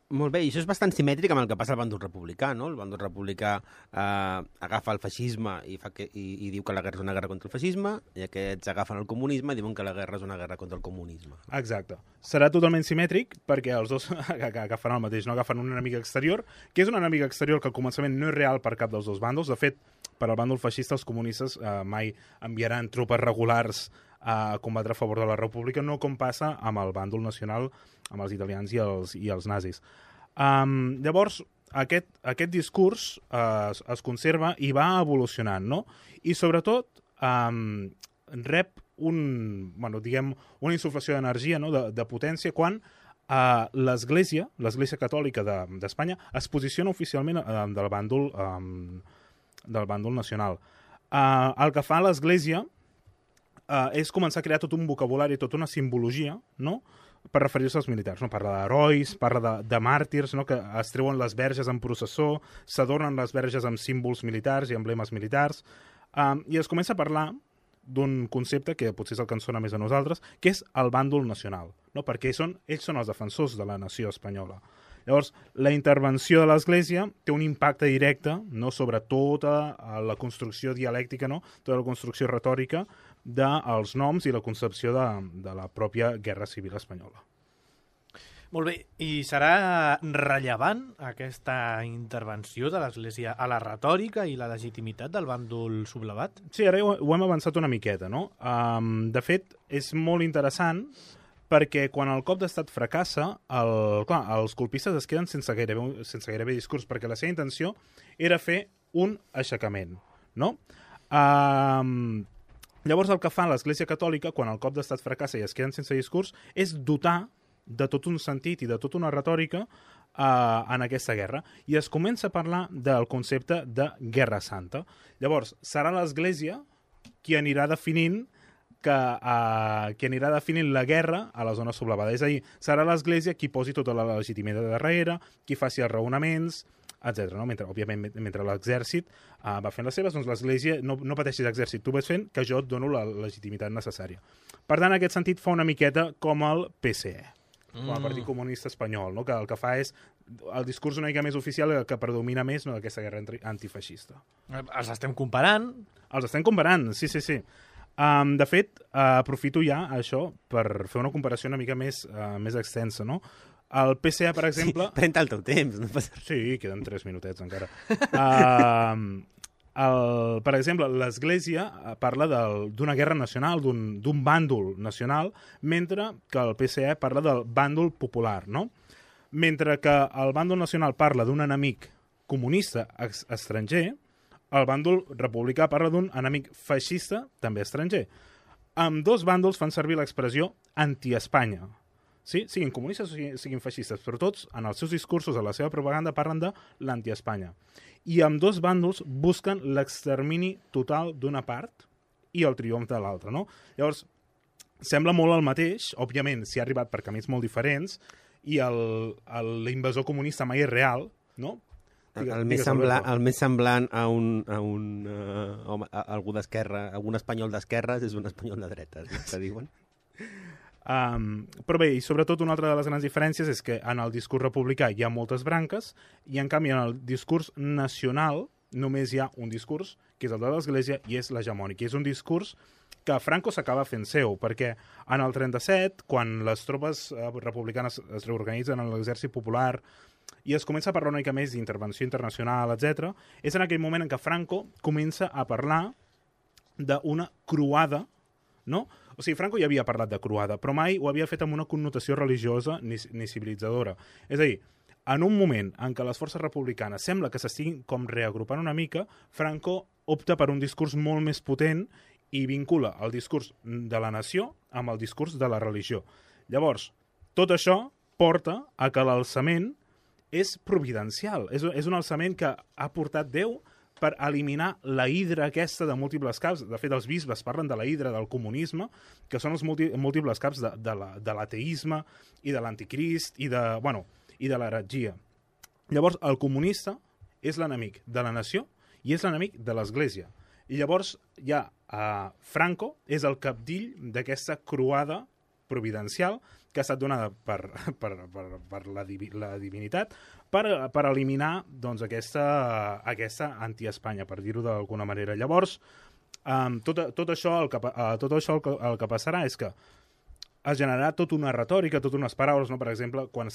S4: Molt bé, i això és bastant simètric amb el que passa al bàndol republicà, no? El bàndol republicà eh, agafa el feixisme i, fa que, i, i diu que la guerra és una guerra contra el feixisme, i aquests agafen el comunisme i diuen que la guerra és una guerra contra el comunisme.
S5: Exacte. Serà totalment simètric perquè els dos agafen el mateix, no? Agafen un enemic exterior, que és un enemic exterior que al començament no és real per cap dels dos bàndols. De fet, per al bàndol feixista els comunistes eh, mai enviaran tropes regulars a combatre a favor de la república, no com passa amb el bàndol nacional, amb els italians i els, i els nazis. Um, llavors, aquest, aquest discurs uh, es, es conserva i va evolucionant, no? I sobretot um, rep un, bueno, diguem, una insuflació d'energia, no? de, de potència, quan uh, l'Església, l'Església Catòlica d'Espanya, de, es posiciona oficialment uh, del bàndol, um, del bàndol nacional. Uh, el que fa l'Església Uh, és començar a crear tot un vocabulari, tota una simbologia, no?, per referir-se als militars. No? Parla d'herois, parla de, de màrtirs, no?, que es treuen les verges en processó, s'adornen les verges amb símbols militars i emblemes militars, um, i es comença a parlar d'un concepte que potser és el que ens sona més a nosaltres, que és el bàndol nacional, no? Perquè són, ells són els defensors de la nació espanyola. Llavors, la intervenció de l'Església té un impacte directe, no?, sobre tota la construcció dialèctica, no?, tota la construcció retòrica dels noms i la concepció de, de la pròpia Guerra Civil Espanyola.
S3: Molt bé, i serà rellevant aquesta intervenció de l'Església a la retòrica i la legitimitat del bàndol sublevat?
S5: Sí, ara ho, ho hem avançat una miqueta, no? Um, de fet, és molt interessant perquè quan el cop d'estat fracassa, el, clar, els colpistes es queden sense gairebé, sense gairebé discurs, perquè la seva intenció era fer un aixecament, no? Um, llavors el que fa l'Església Catòlica, quan el cop d'estat fracassa i es queden sense discurs, és dotar de tot un sentit i de tota una retòrica uh, en aquesta guerra. I es comença a parlar del concepte de Guerra Santa. Llavors, serà l'Església qui anirà definint que, uh, qui anirà definint la guerra a la zona sublevada. És a dir, serà l'Església qui posi tota la legitimitat darrere, qui faci els raonaments, etcètera. No? Mentre, òbviament, mentre l'exèrcit uh, va fent les seves, doncs l'Església, no, no pateixis exèrcit, tu vas fent que jo et dono la legitimitat necessària. Per tant, en aquest sentit, fa una miqueta com el P S E, com a Partit Comunista Espanyol, no? Que el que fa és el discurs una mica més oficial que predomina més, no, d'aquesta guerra antifeixista.
S3: Els estem comparant?
S5: Els estem comparant, sí, sí, sí. Um, de fet, uh, aprofito ja això per fer una comparació una mica més, uh, més extensa, no? El P S E, per exemple...
S4: Sí, pren-te el teu temps. No passa...
S5: Sí, queden tres minutets encara. uh, el, per exemple, l'Església parla d'una guerra nacional, d'un bàndol nacional, mentre que el P S E parla del bàndol popular, no? Mentre que el bàndol nacional parla d'un enemic comunista estranger, el bàndol republicà parla d'un enemic feixista, també estranger. Amb dos bàndols fan servir l'expressió anti-Espanya. Sí? Siguin comunistes o siguin feixistes, però tots, en els seus discursos, a la seva propaganda, parlen de l'anti-Espanya. I amb dos bàndols busquen l'extermini total d'una part i el triomf de l'altra, no? Llavors, sembla molt el mateix, òbviament s'hi ha arribat per camins molt diferents, i l'invasor comunista mai és real, no?
S4: Digues, el, més semblant, el més semblant a un, a un uh, home, a algú d'esquerra, algun espanyol d'esquerres és un espanyol de dretes, no? Que diuen.
S5: Um, però bé, i sobretot una altra de les grans diferències és que en el discurs republicà hi ha moltes branques i en canvi en el discurs nacional només hi ha un discurs, que és el de l'Església, i és l'hegemònic. I és un discurs que Franco s'acaba fent seu, perquè en el trenta-set, quan les tropes uh, republicanes es reorganitzen en l'exèrcit popular i es comença a parlar una mica més d'intervenció internacional, etcètera, és en aquell moment en què Franco comença a parlar d'una croada, no? O sigui, Franco ja havia parlat de croada, però mai ho havia fet amb una connotació religiosa ni, ni civilitzadora. És a dir, en un moment en què les forces republicanes sembla que s'estiguin com reagrupant una mica, Franco opta per un discurs molt més potent i vincula el discurs de la nació amb el discurs de la religió. Llavors, tot això porta a que l'alçament és providencial. És, és un alçament que ha portat Déu per eliminar la hidra aquesta de múltiples caps. De fet, els bisbes parlen de la hidra del comunisme, que són els múlti múltiples caps de, de l'ateisme i de l'anticrist i de, bueno, i de l'heretgia. Llavors, el comunista és l'enemic de la nació i és l'enemic de l'Església. I llavors, ja eh, Franco és el capdill d'aquesta croada providencial que ha estat donada per, per, per, per la, divi, la divinitat per, per eliminar doncs, aquesta, aquesta anti-Espanya, per dir-ho d'alguna manera. Llavors, um, tot, tot, això, el que, uh, tot això el que, el que passarà és que es generarà tota una retòrica, totes unes paraules, no? Per exemple, quan,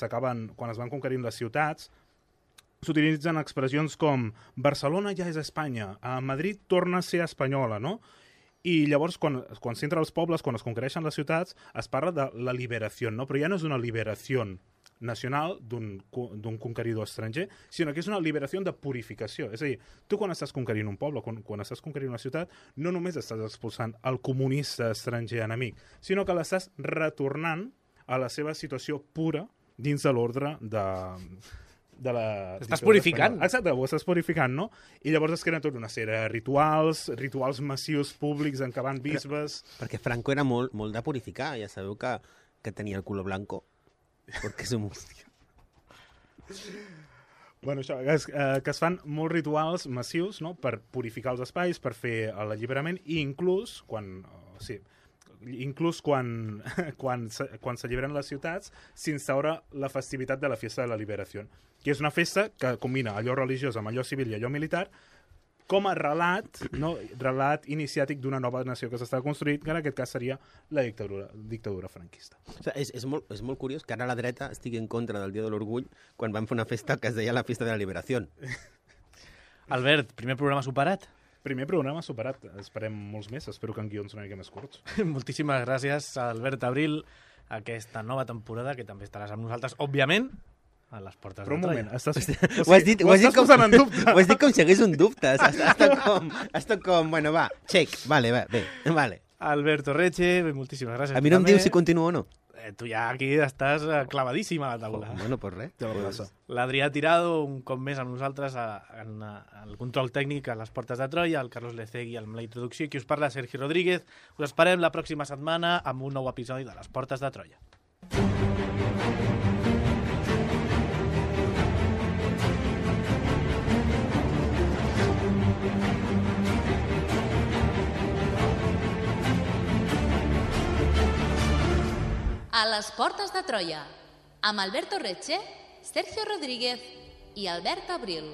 S5: quan es van conquerint les ciutats, s'utilitzen expressions com Barcelona ja és Espanya, a Madrid torna a ser espanyola, no? I llavors, quan, quan s'entra als pobles, quan es conquereixen les ciutats, es parla de la liberació, no? Però ja no és una liberació nacional d'un conqueridor estranger, sinó que és una liberació de purificació. És a dir, tu quan estàs conquerint un poble, quan, quan estàs conquerint una ciutat, no només estàs expulsant el comunista estranger enemic, sinó que l'estàs retornant a la seva situació pura dins de l'ordre de... de la...
S3: Estàs purificant.
S5: Exacte, ho estàs purificant, no? I llavors es creen tota una sèrie de rituals, rituals massius públics en què van bisbes...
S4: Però, perquè Franco era molt, molt de purificar, ja sabeu que, que tenia el culo blanco, perquè és un...
S5: Bueno, això, que es, eh, que es fan molts rituals massius, no?, per purificar els espais, per fer l'alliberament, i inclús, quan... O sigui, inclús quan, quan, quan s'alliberen les ciutats, s'instaura la festivitat de la Fiesta de la Liberació, que és una festa que combina allò religiós amb allò civil i allò militar, com a relat, no? relat iniciàtic d'una nova nació que s'està construint, que en aquest cas seria la dictadura, dictadura franquista.
S4: O sigui, és, és, molt, és molt curiós que ara la dreta estigui en contra del Dia de l'Orgull quan van fer una festa que es deia la Fiesta de la Liberació.
S3: Albert, primer programa superat?
S5: Primer programa superat. Esperem molts més. Espero que en guions una mica més curts.
S3: Moltíssimes gràcies, Albert Abril, aquesta nova temporada, que també estaràs amb nosaltres, òbviament, a les portes
S5: Però un
S3: de Troia.
S5: moment, estàs,
S4: Ho has dit, ho
S5: ho
S4: has dit
S5: estàs
S4: com,
S5: posant en dubte.
S4: ho has dit com si hagués un dubte. Ha, ha, estat com, ha estat com, bueno, va, check, vale, va, bé, vale.
S3: Alberto Reche, bé, moltíssimes gràcies.
S4: A mi no em
S3: També.
S4: dius si continuo o no.
S3: Eh, tu ja aquí estàs eh, clavadíssim a la taula.
S4: Oh, bueno, pues res.
S5: Ja va passar.
S3: L'Adrià Tirado, un cop més amb nosaltres a, en, a, el control tècnic a les portes de Troia, el Carlos Lecegui amb la introducció, i qui us parla, Sergi Rodríguez. Us esperem la pròxima setmana amb un nou episodi de les portes de Troia.
S1: A les portes de Troia, amb Alberto Reche, Sergio Rodríguez i Albert Abril.